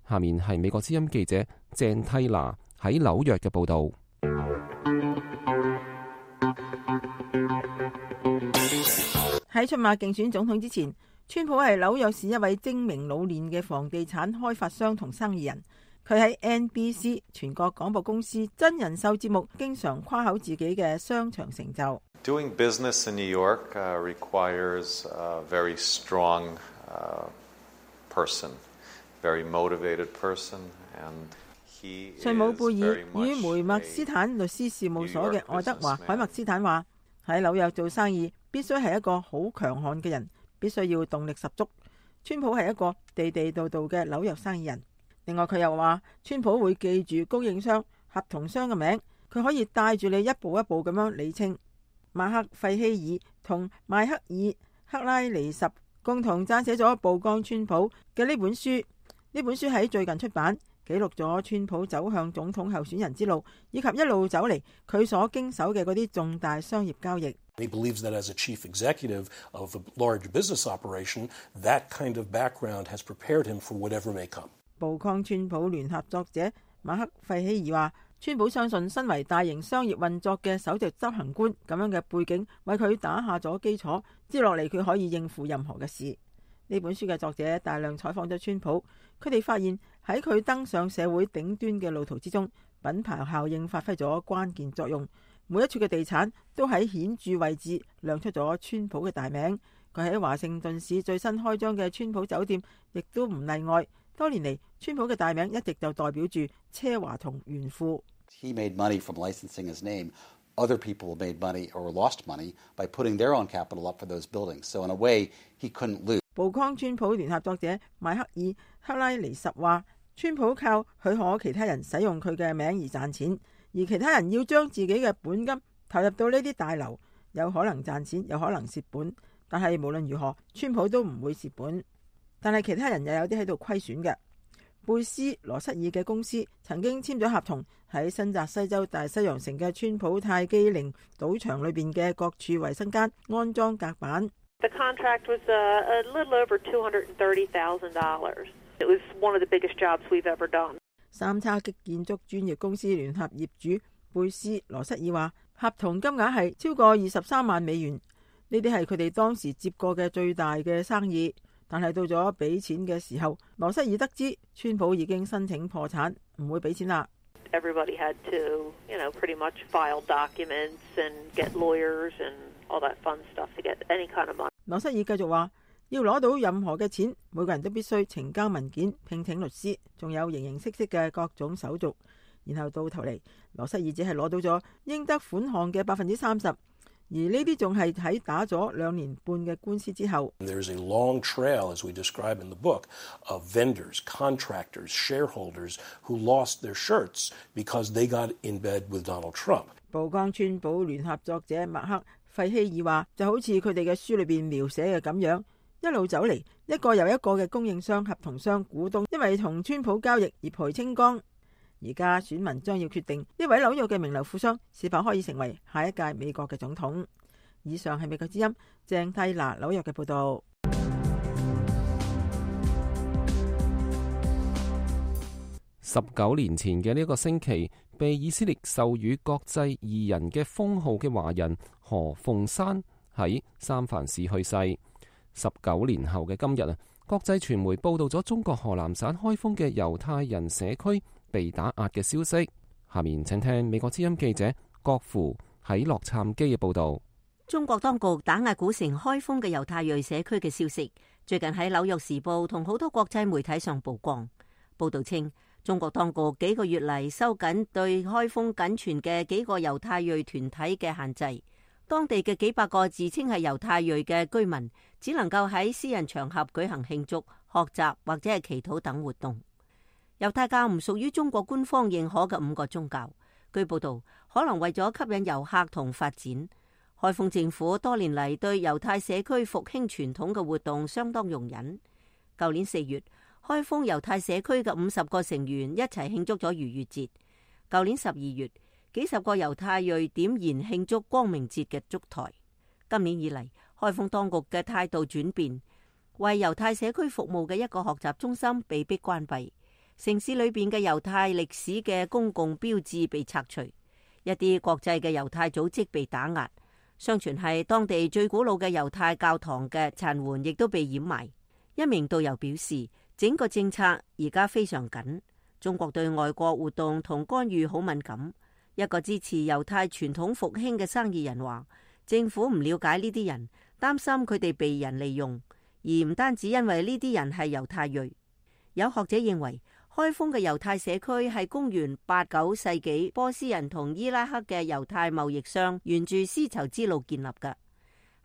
下面係美國之音記者鄭蒂娜喺紐約嘅報道。喺出馬競選總統之前，川普係紐約市一位精明老練嘅房地產開發商同生意人。佢喺 NBC 全國廣播公司真人秀節目經常誇口自己嘅商場成就。Doing business in New York requires a very strong person, very motivated person, and he is 瑞姆貝爾 very much 與梅默斯坦律師事務所嘅愛德華海默斯坦話：喺紐約做生意必須係一個好強悍嘅人，必須要動力十足。川普係一個地地道道嘅紐約生意人。另外佢又話，川普會記住供應商、合同商嘅名，佢可以帶住你一步一步咁樣理清。馬克費希爾同邁克爾克拉尼什共同撰寫咗《曝光川普》嘅呢本書。呢本書喺最近出版，記錄咗川普走向總統候選人之路，以及一路走嚟佢所經手嘅嗰啲重大商業交易。He believes that as a chief executive of a large business operation, that kind of background has prepared him for whatever may come. 曝光川普聯合作者馬克費希爾話，川普相信身為大型商業運作嘅首席執行官咁樣嘅背景，為佢打下咗基礎，接落嚟佢可以應付任何嘅事。呢本書嘅作者大量採訪咗川普，佢哋發現喺佢登上社會頂端嘅路途之中，品牌效應發揮咗關鍵作用。每一處嘅地產都喺顯著位置亮出咗川普嘅大名。佢喺華盛頓市最新開張嘅川普酒店亦都唔例外。多年嚟，川普嘅大名一直就代表住奢華同炫富。He made money from licensing his name. Other people made money or lost money by putting their own capital up for those buildings. So in a way, he couldn't lose. 曝光川普聯合作者邁克爾克拉尼什話，川普靠許可其他人使用佢嘅名而賺錢，而其他人要將自己嘅本金投入到呢啲大樓，有可能賺錢，有可能蝕本。但係無論如何，川普都唔會蝕本。但係其他人又有啲喺度虧損嘅。貝斯羅瑟爾嘅公司曾經簽咗合同，喺新澤西州大西洋城嘅川普泰姬陵賭場裏邊嘅各處衛生間安裝隔板。The contract was a little over $230,000. It was one of the biggest jobs we've ever done. 三叉戟建築專業公司聯合業主貝斯羅瑟爾話，合同金額係超過23萬美元，呢啲係佢哋當時接過嘅最大嘅生意。但係到咗俾錢嘅時候，羅瑟爾得知川普已經申請破產，唔會俾錢啦。Everybody had to, pretty much file documents and get lawyers and all that fun stuff to get any kind of money. 羅瑟爾繼續話，要攞到任何嘅錢，每個人都必須呈交文件、聘請律師，仲有形形色色嘅各種手續。然後到頭嚟，羅瑟爾只係攞到咗應得款項嘅30%。而呢啲仲係喺打咗2年半嘅官司之後。There's a long trail, as we describe in the book, of vendors, contractors, shareholders who lost their shirts because they got in bed with Donald Trump. 曝光川普聯合作者麥克費希爾話，就好似佢哋嘅書裏邊描寫嘅咁樣，一路走嚟，一個又一個嘅供應商、合同商、股東，因為同川普交易而賠清光。而家選民將要決定呢位紐約嘅名流富商是否可以成為下一屆美國嘅總統。以上係美國之音鄭蒂娜紐約嘅報道。19年前嘅呢個星期，被以色列授予國際義人嘅封號嘅華人何鳳山喺三藩市去世。19年後嘅今日國際傳媒報道咗中國河南省開封嘅猶太人社區被打壓嘅消息。下面請聽美國之音記者郭芙喺洛杉磯嘅報道。中國當局打壓古城開封嘅猶太裔社區嘅消息，最近喺《紐約時報》同好多國際媒體上曝光。報道稱，中國當局幾個月嚟收緊對開封僅存嘅幾個猶太裔團體嘅限制，當地嘅幾百個自稱係猶太裔嘅居民只能夠喺私人場合舉行慶祝、學習或者係祈禱等活動。猶太教唔屬於中國官方認可嘅5個宗教。據報道，可能為咗吸引遊客同發展，開封政府多年嚟對猶太社區復興傳統嘅活動相當容忍。舊年4月，開封猶太社區嘅50個成員一齊慶祝咗逾越節。舊年12月，幾十個猶太裔點燃慶祝光明節嘅燭台。今年以嚟，開封當局嘅態度轉變，為猶太社區服務嘅一個學習中心被迫關閉，城市裏邊嘅猶太歷史嘅公共標誌被拆除，一啲國際嘅猶太組織被打壓。相傳係當地最古老嘅猶太教堂嘅殘垣亦都被掩埋。一名導遊表示，整個政策而家非常緊，中國對外國活動同干預好敏感。一個支持猶太傳統復興嘅生意人話，政府唔了解呢啲人，擔心佢哋被人利用，而唔單止因為呢啲人係猶太裔。有學者認為，開封嘅猶太社區係公元8、9世紀波斯人同伊拉克嘅猶太貿易商沿住絲綢之路建立嘅。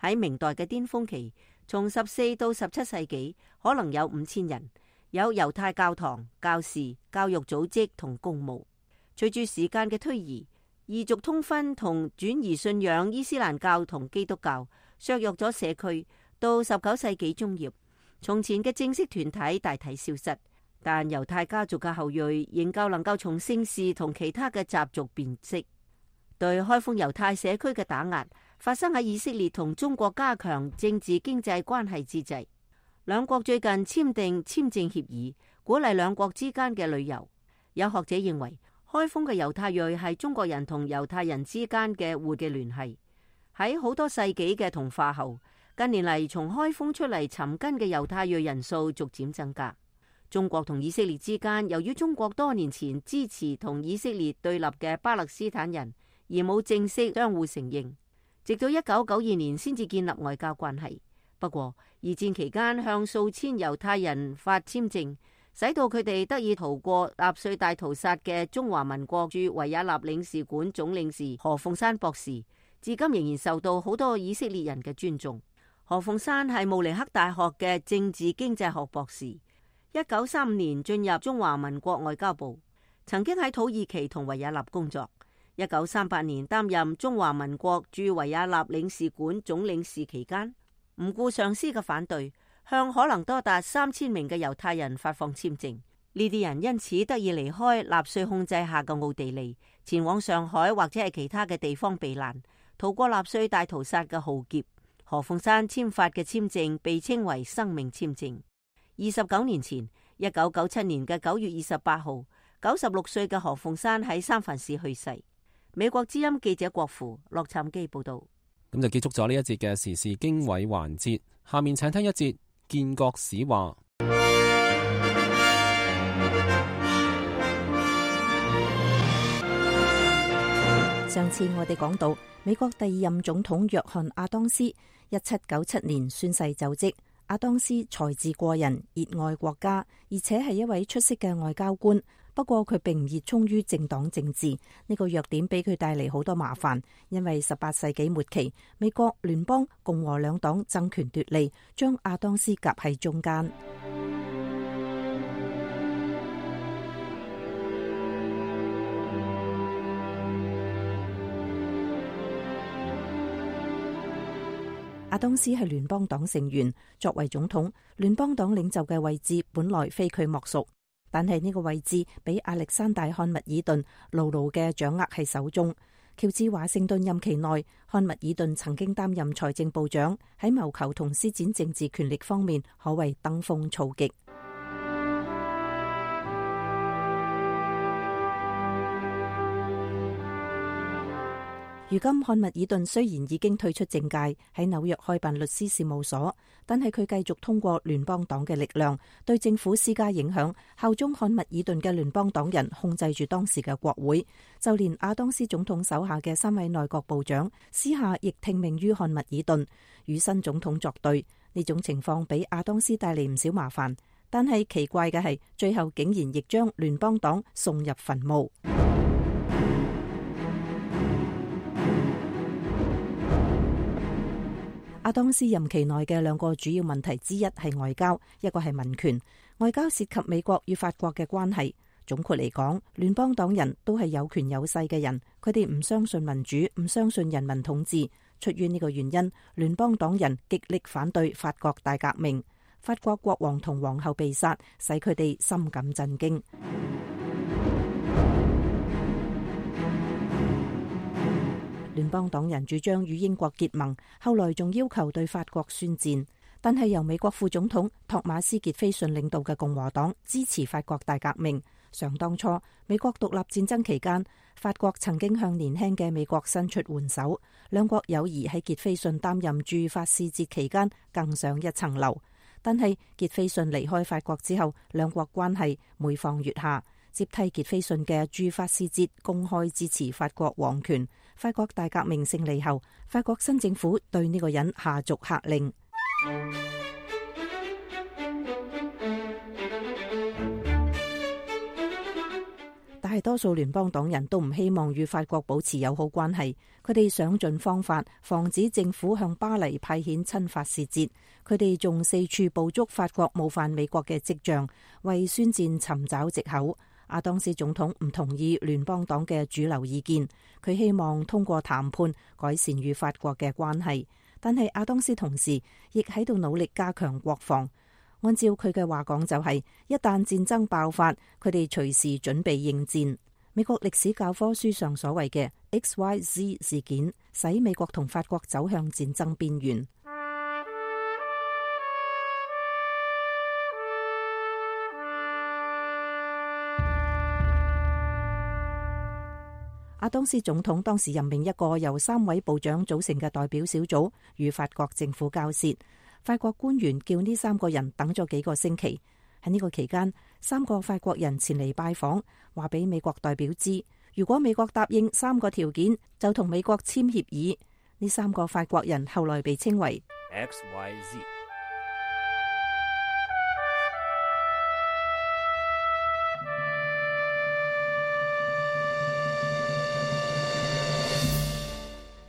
喺明代嘅巔峰期，從14到17世紀，可能有5000人，有猶太教堂、教士、教育組織同公墓。隨住時間嘅推移，異族通婚同轉移信仰伊斯蘭教同基督教，削弱咗社區。到19世紀中葉，從前嘅正式團體大體消失。但猶太家族嘅後裔仍舊能夠從姓氏同其他嘅習俗辨識。對開封猶太社區嘅打壓發生喺以色列同中國加強政治經濟關係之際。兩國最近簽訂簽證協議，鼓勵兩國之間嘅旅遊。有學者認為，開封嘅猶太裔係中國人同猶太人之間嘅活嘅聯繫。喺好多世紀嘅同化後，近年嚟從開封出嚟尋根嘅猶太裔人數逐漸增加。中國同以色列之間，由於中國多年前支持同以色列對立嘅巴勒斯坦人，而冇正式相互承認，直到1992年先至建立外交關係。不過，二戰期間向數千猶太人發簽證，使到佢哋得以逃過納粹大屠殺嘅中華民國駐維也納領事館總領事何鳳山博士，至今仍然受到好多以色列人嘅尊重。何鳳山係慕尼黑大學嘅政治經濟學博士。1935年進入中華民國外交部，曾經喺土耳其同維也納工作。1938年擔任中華民國駐維也納領事館總領事期間，唔顧上司嘅反對，向可能多達3000名嘅猶太人發放簽證。呢啲人因此得以離開納粹控制下嘅奧地利，前往上海或者係其他嘅地方避難，逃過納粹大屠殺嘅浩劫。何鳳山簽發嘅簽證被稱為生命簽證。29年前，1997年嘅9月28號，96歲嘅何鳳山喺三藩市去世。美國之音記者郭芙洛杉磯報道。咁就結束咗呢一節嘅時事經緯環節，下面請聽一節建國史話。上次我哋講到，美國第2任總統約翰亞當斯1797年宣誓就職。亞當斯才智過人，熱愛國家，而且係一位出色嘅外交官。不過佢並唔熱衷於政黨政治，呢個弱點俾佢帶嚟好多麻煩。因為18世紀末期，美國聯邦共和兩黨爭權奪利，將亞當斯夾喺中間。亞當斯係聯邦黨成員，作為總統，聯邦黨領袖嘅位置本來非佢莫屬。但係呢個位置俾亞歷山大漢密爾頓牢牢嘅掌握喺手中。喬治華盛頓任期內，漢密爾頓曾經擔任財政部長，喺謀求同施展政治權力方面可謂登峰造極。如今漢密爾頓雖然已經退出政界，喺紐約開辦律師事務所，但係佢繼續通過聯邦黨嘅力量對政府施加影響，效忠漢密爾頓嘅聯邦黨人控制住當時嘅國會，就連亞當斯總統手下嘅3位內閣部長私下亦聽命於漢密爾頓，與新總統作對。呢種情況俾亞當斯帶嚟唔少麻煩，但係奇怪嘅係，最後竟然亦將聯邦黨送入墳墓。亞當斯任期內嘅2個主要問題之一係外交，一個係民權。外交涉及美國與法國嘅關係。總括嚟講，聯邦黨人都係有權有勢嘅人，佢哋唔相信民主，唔相信人民統治。出於呢個原因，聯邦黨人極力反對法國大革命。法國國王同皇后被殺，使佢哋深感震驚。聯邦黨人主張與英國結盟，後來仲要求對法國宣戰。但係由美國副總統托馬斯傑菲遜領導嘅共和黨支持法國大革命。想當初美國獨立戰爭期間，法國曾經向年輕嘅美國伸出援手，兩國友誼喺傑菲遜擔任駐法使節期間更上一層樓。但係傑菲遜離開法國之後，兩國關係每況愈下。接替傑菲遜嘅駐法使節公開支持法國王權。法國大革命勝利後，法國新政府對呢個人下逐客令。大多數聯邦黨人都唔希望與法國保持友好關係，佢哋想盡方法防止政府向巴黎派遣親法使節。佢哋仲四處捕捉法國冒犯美國嘅跡象，為宣戰尋找藉口。亞當斯總統唔同意聯邦黨嘅主流意見，佢希望通過談判改善與法國嘅關係。但係亞當斯同時亦喺度努力加強國防。按照佢嘅話講，就係一旦戰爭爆發，佢哋隨時準備應戰。美國歷史教科書上所謂嘅 XYZ 事件，使美國同法國走向戰爭邊緣。亞當斯總統當時任命一個由3位部長組成嘅代表小組與法國政府交涉。法國官員叫呢3個人等咗幾個星期。喺呢個期間，3個法國人前嚟拜訪，話俾美國代表知，如果美國答應3個條件，就同美國簽協議。呢3個法國人後來被稱為 XYZ。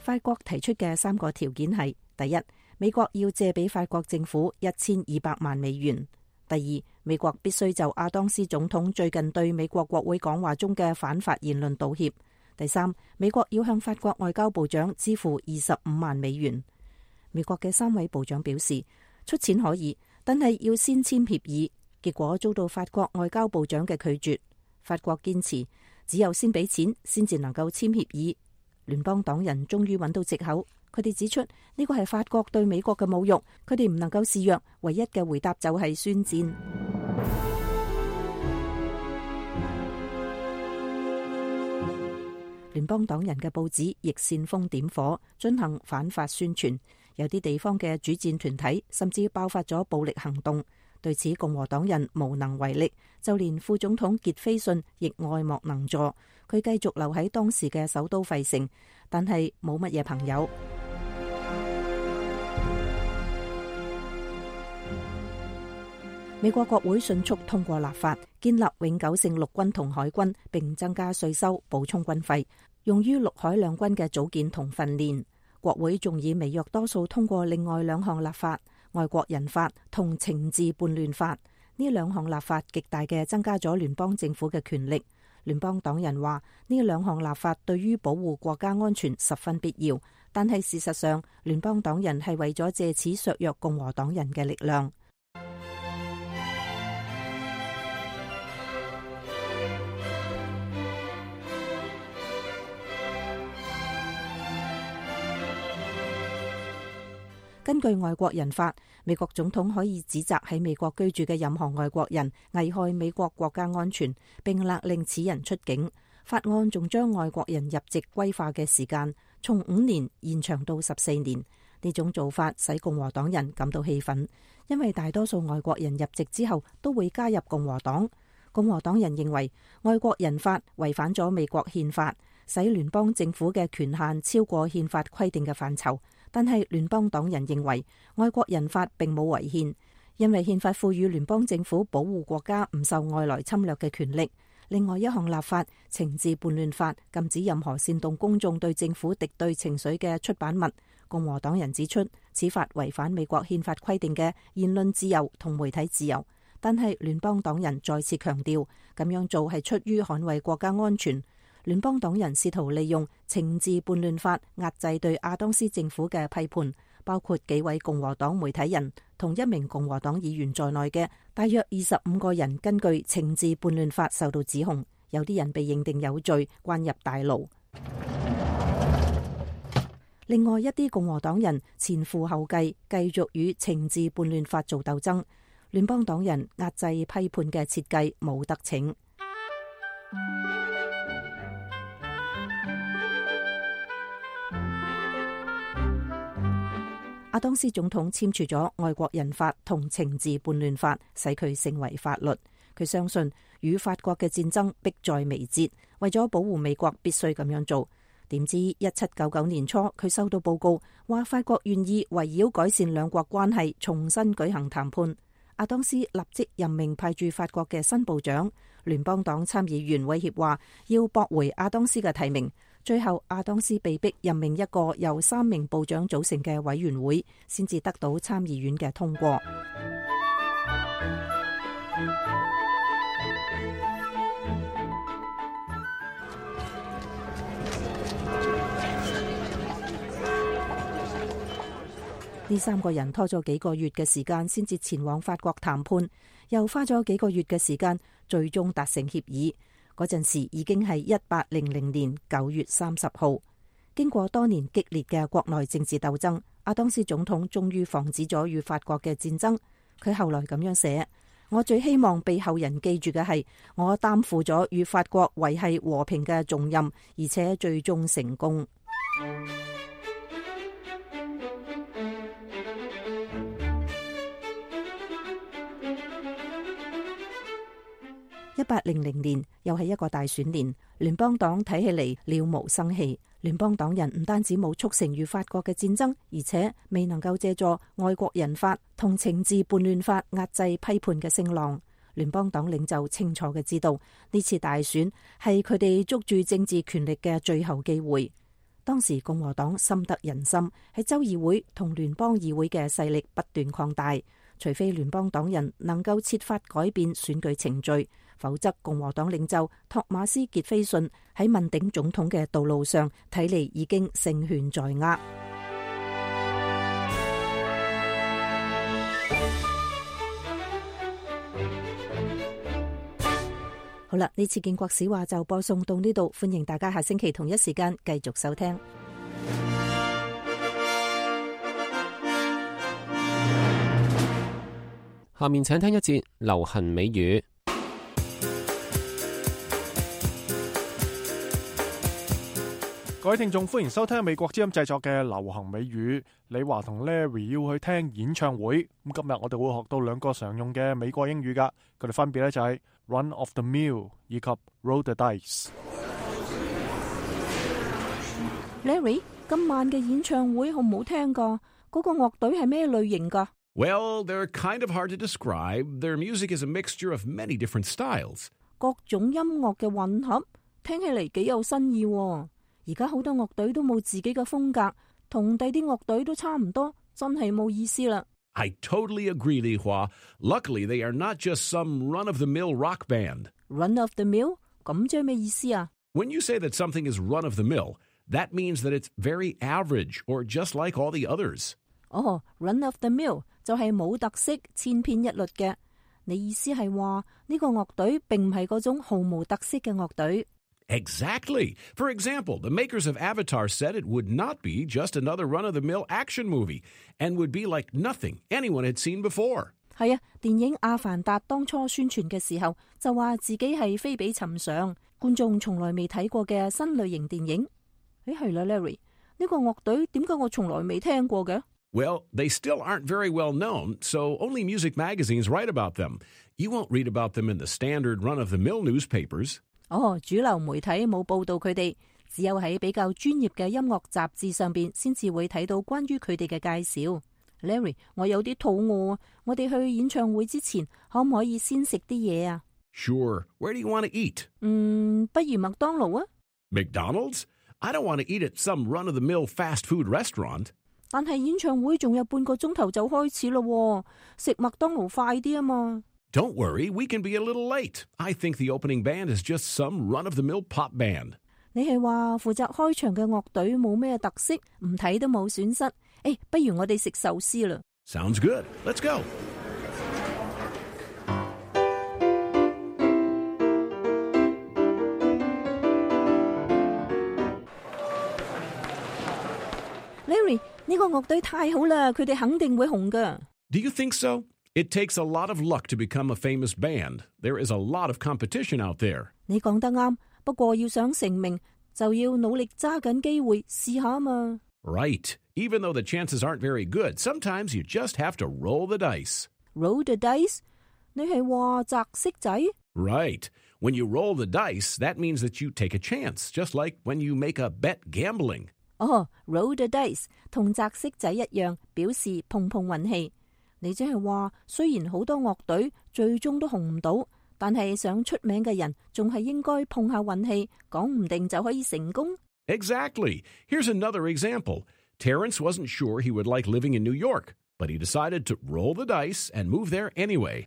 法國提出嘅3個條件係：第一，美國要借俾法國政府1200萬美元；第二，美國必須就亞當斯總統最近對美國國會講話中嘅反法言論道歉；第三，美國要向法國外交部長支付25萬美元。美國嘅3位部長表示出錢可以，但係要先簽協議，結果遭到法國外交部長嘅拒絕。法國堅持只有先俾錢先至能夠簽協議。聯邦黨人終於揾到藉口，佢哋指出呢個係法國對美國嘅侮辱，佢哋唔能夠示弱，唯一嘅回答就係宣戰。聯邦黨人嘅報紙亦煽風點火，進行反法宣傳，有啲地方嘅主戰團體甚至爆發咗暴力行動。對此，共和黨人無能為力，就連副總統傑菲遜亦愛莫能助。佢繼續留喺當時嘅首都費城，但係冇乜嘢朋友。美國國會迅速通過立法，建立永久性陸軍同海軍，並增加稅收，補充軍費，用於陸海兩軍嘅組建同訓練。國會仲以微弱多數通過另外2項立法。外國人法同懲治叛亂法，呢2項立法極大嘅增加咗聯邦政府嘅權力。聯邦黨人話呢2項立法對於保護國家安全十分必要，但係事實上聯邦黨人係為咗借此削弱共和黨人嘅力量。根據外國人法，美國總統可以指責喺美國居住嘅任何外國人危害美國國家安全，並勒令此人出境。法案仲將外國人入籍歸化嘅時間從5年延長到14年。呢種做法使共和黨人感到氣憤，因為大多數外國人入籍之後都會加入共和黨。共和黨人認為外國人法違反咗美國憲法，使聯邦政府嘅權限超過憲法規定嘅範疇。但係聯邦黨人認為外國人法並冇違憲，因為憲法賦予聯邦政府保護國家唔受外來侵略嘅權力。另外一項立法懲治叛亂法，禁止任何煽動公眾對政府敵對情緒嘅出版物。共和黨人指出，此法違反美國憲法規定嘅言論自由同媒體自由。但係聯邦黨人再次強調，咁樣做係出於捍衛國家安全。聯邦黨人試圖利用懲治叛亂法壓制對亞當斯政府嘅批判，包括幾位共和黨媒體人同1名共和黨議員在內嘅大約25個人，根據懲治叛亂法受到指控，有啲人被認定有罪，關入大牢。另外一啲共和黨人前赴後繼，繼續與懲治叛亂法做鬥爭。聯邦黨人壓制批判嘅設計冇得逞。亞當斯總統簽署咗外國人法同懲治叛亂法，使佢成為法律。佢相信與法國嘅戰爭迫在眉睫，為咗保護美國必須咁樣做。點知1799年初，佢收到報告話法國願意圍繞改善兩國關係重新舉行談判。亞當斯立即任命派駐法國嘅新部長。聯邦黨參議員威脅話要駁回亞當斯嘅提名。最後亞當斯被迫任命一個由3名部長組成嘅委員會，先至得到參議院嘅通過。呢3個人拖咗幾個月嘅時間先至前往法國談判，又花咗幾個月嘅時間，最終達成協議。嗰陣時已經係1800年9月30號。經過多年激烈嘅國內政治鬥爭，亞當斯總統終於防止咗與法國嘅戰爭。佢後來咁樣寫：我最希望被後人記住嘅係，我擔負咗與法國維繫和平嘅重任，而且最終成功。1800年又係一個大選年，聯邦黨睇起嚟了無生氣。聯邦黨人唔單止冇促成與法國嘅戰爭，而且未能夠借助外國人法同懲治叛亂法壓制批判嘅聲浪。聯邦黨領袖清楚嘅知道，呢次大選係佢哋捉住政治權力嘅最後機會。當時共和黨深得人心，喺州議會同聯邦議會嘅勢力不斷擴大。除非聯邦黨人能夠設法改變選舉程序，否則共和黨領袖托馬斯傑菲遜喺問鼎總統嘅道路上，睇嚟已經勝券在握。好啦，呢次建國史話就播送到呢度，歡迎大家下星期同一時間繼續收聽。下面請聽一節流行美語。各位聽眾，歡迎收聽美國之音製作嘅流行美語。李華同 Larry 要去聽演唱會，咁今日我哋會學到2個常用嘅美國英語噶，佢哋分別咧就係 run of the mill 以及 roll the dice。 Larry， 今晚嘅演唱會好唔好聽噶？嗰個樂隊係咩類型噶？Well, they're kind of hard to describe. Their music is a mixture of many different styles. 各種音樂嘅混合，聽起嚟幾有新意喎。而家好多樂隊都冇自己嘅風格，同第啲樂隊都差唔多，真係冇意思啦。I totally agree, Li Hua. Luckily, they are not just some run-of-the-mill rock band. Run of the mill？ 咁即係咩意思啊？ When you say that something is run-of-the-mill, that means that it's very average or just like all the others. Run of the mill 就係冇特色、千篇一律嘅。你意思係話呢個樂隊並唔係嗰種毫無特色嘅樂隊？ Exactly. For example, the makers of Avatar said it would not be just another run-of-the-mill action movie and would be like nothing anyone had seen before. 係啊，電影《阿凡達》當初宣傳嘅時候就話自己係非比尋常，觀眾從來未睇過嘅新類型電影。係啦 ，Larry，呢個樂隊點解我從來未聽過嘅？ Well, they still aren't very well known, so only music magazines write about them. You won't read about them in the standard run-of-the-mill newspapers. 主流媒體冇報道佢哋，只有喺比較專業嘅音樂雜誌上邊先至會睇到關於佢哋嘅介紹。Larry， 我有啲肚餓啊，我哋去演唱會之前可唔可以先食啲嘢啊？ Sure. Where do you want to eat? 不如麥當勞啊。 McDonald's? I don't want to eat at some run-of-the-mill fast food restaurant. 但係演唱會仲有半個鐘頭就開始咯，食麥當勞快啲啊嘛。Don't worry, we can be a little late. I think the opening band is just some run-of-the-mill pop band. 你係話負責開場嘅樂隊冇咩特色，唔睇都冇損失。不如我哋食壽司啦。Sounds good. Let's go. Larry， 呢個樂隊太好啦，佢哋肯定會紅噶。Do you think so? It takes a lot of luck to become a famous band. There is a lot of competition out there. 你講得啱，不過要想成名，就要努力揸緊機會試下嘛。Right. Even though the chances aren't very good, sometimes you just have to roll the dice. Roll the dice？ 你係話擲色仔？ Right. When you roll the dice, that means that you take a chance, just like when you make a bet gambling. Roll the dice 同擲色仔一樣，表示碰碰運氣。你即係話，雖然好多樂隊最終都紅唔到，但係想出名嘅人仲係應該碰下運氣，講唔定就可以成功。Exactly. Here's another example. Terrence wasn't sure he would like living in New York, but he decided to roll the dice and move there anyway.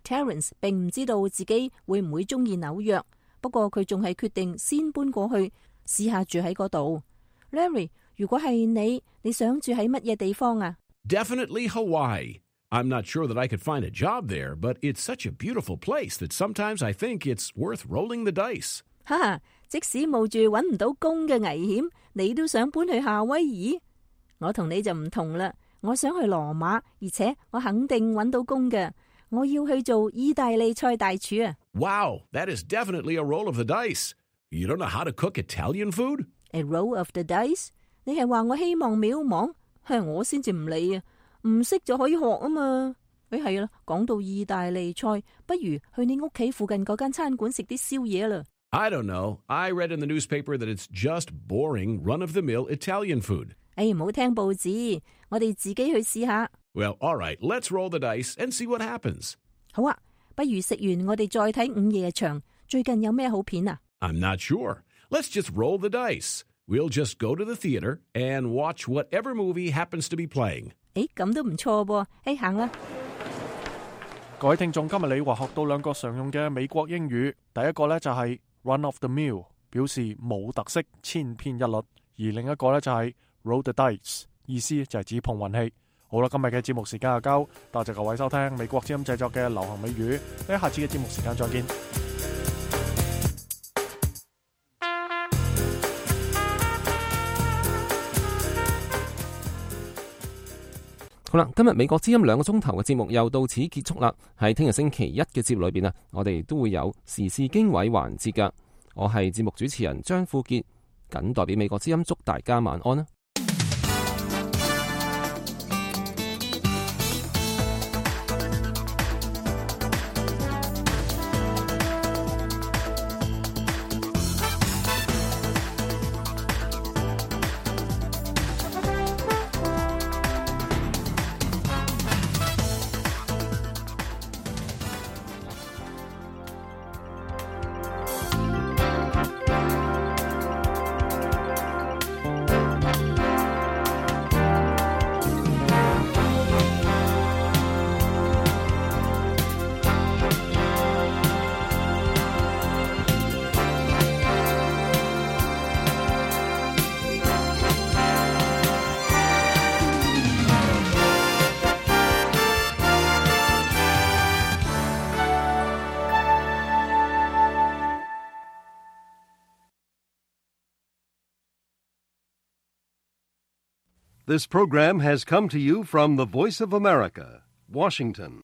Terrence 並唔知道自己會唔會中意紐約，不過佢仲係決定先搬過去試下住喺嗰度。Larry， 如果係你想住喺乜嘢地方啊？ Definitely Hawaii. I'm not sure that I could find a job there, but it's such a beautiful place that sometimes I think it's worth rolling the dice. 即使冒住揾唔到工嘅危險，你都想搬去夏威夷？我同你就唔同啦，我想去羅馬，而且我肯定揾到工嘅。我要去做意大利菜大廚啊！ Wow, that is definitely a roll of the dice. You don't know how to cook Italian food? A roll of the dice？ 你係話我希望渺茫？我先至唔理啊！唔識就可以學啊嘛。係啦，講到意大利菜，不如去你屋企附近嗰間餐館食啲宵夜啦。I don't know. I read in the newspaper that it's just boring, run-of-the-mill Italian food. 唔好聽報紙，我哋自己去試下。Well, all right, let's roll the dice and see what happens. 好啊，不如食完我哋再睇午夜場。最近有咩好片啊？ I'm not sure. Let's just roll the dice. We'll just go to the theater and watch whatever movie happens to be playing. 咁都唔錯噃。行啦。各位聽眾，今日你話學到兩個常用嘅美國英語，第一個呢就係 run of the mill， 表示冇特色、千篇一律；而另一個呢就係 roll the dice， 意思就係指碰運氣。好啦，今日嘅節目時間就夠，多謝各位收聽美國之音製作嘅流行美語，喺下次嘅節目時間再見。好啦，今日美國之音2個鐘頭嘅節目又到此結束啦。喺聽日星期一嘅節目裏邊啊，我哋都會有時事經緯環節噶。我係節目主持人張富傑，謹代表美國之音祝大家晚安啦。This program has come to you from the Voice of America, Washington.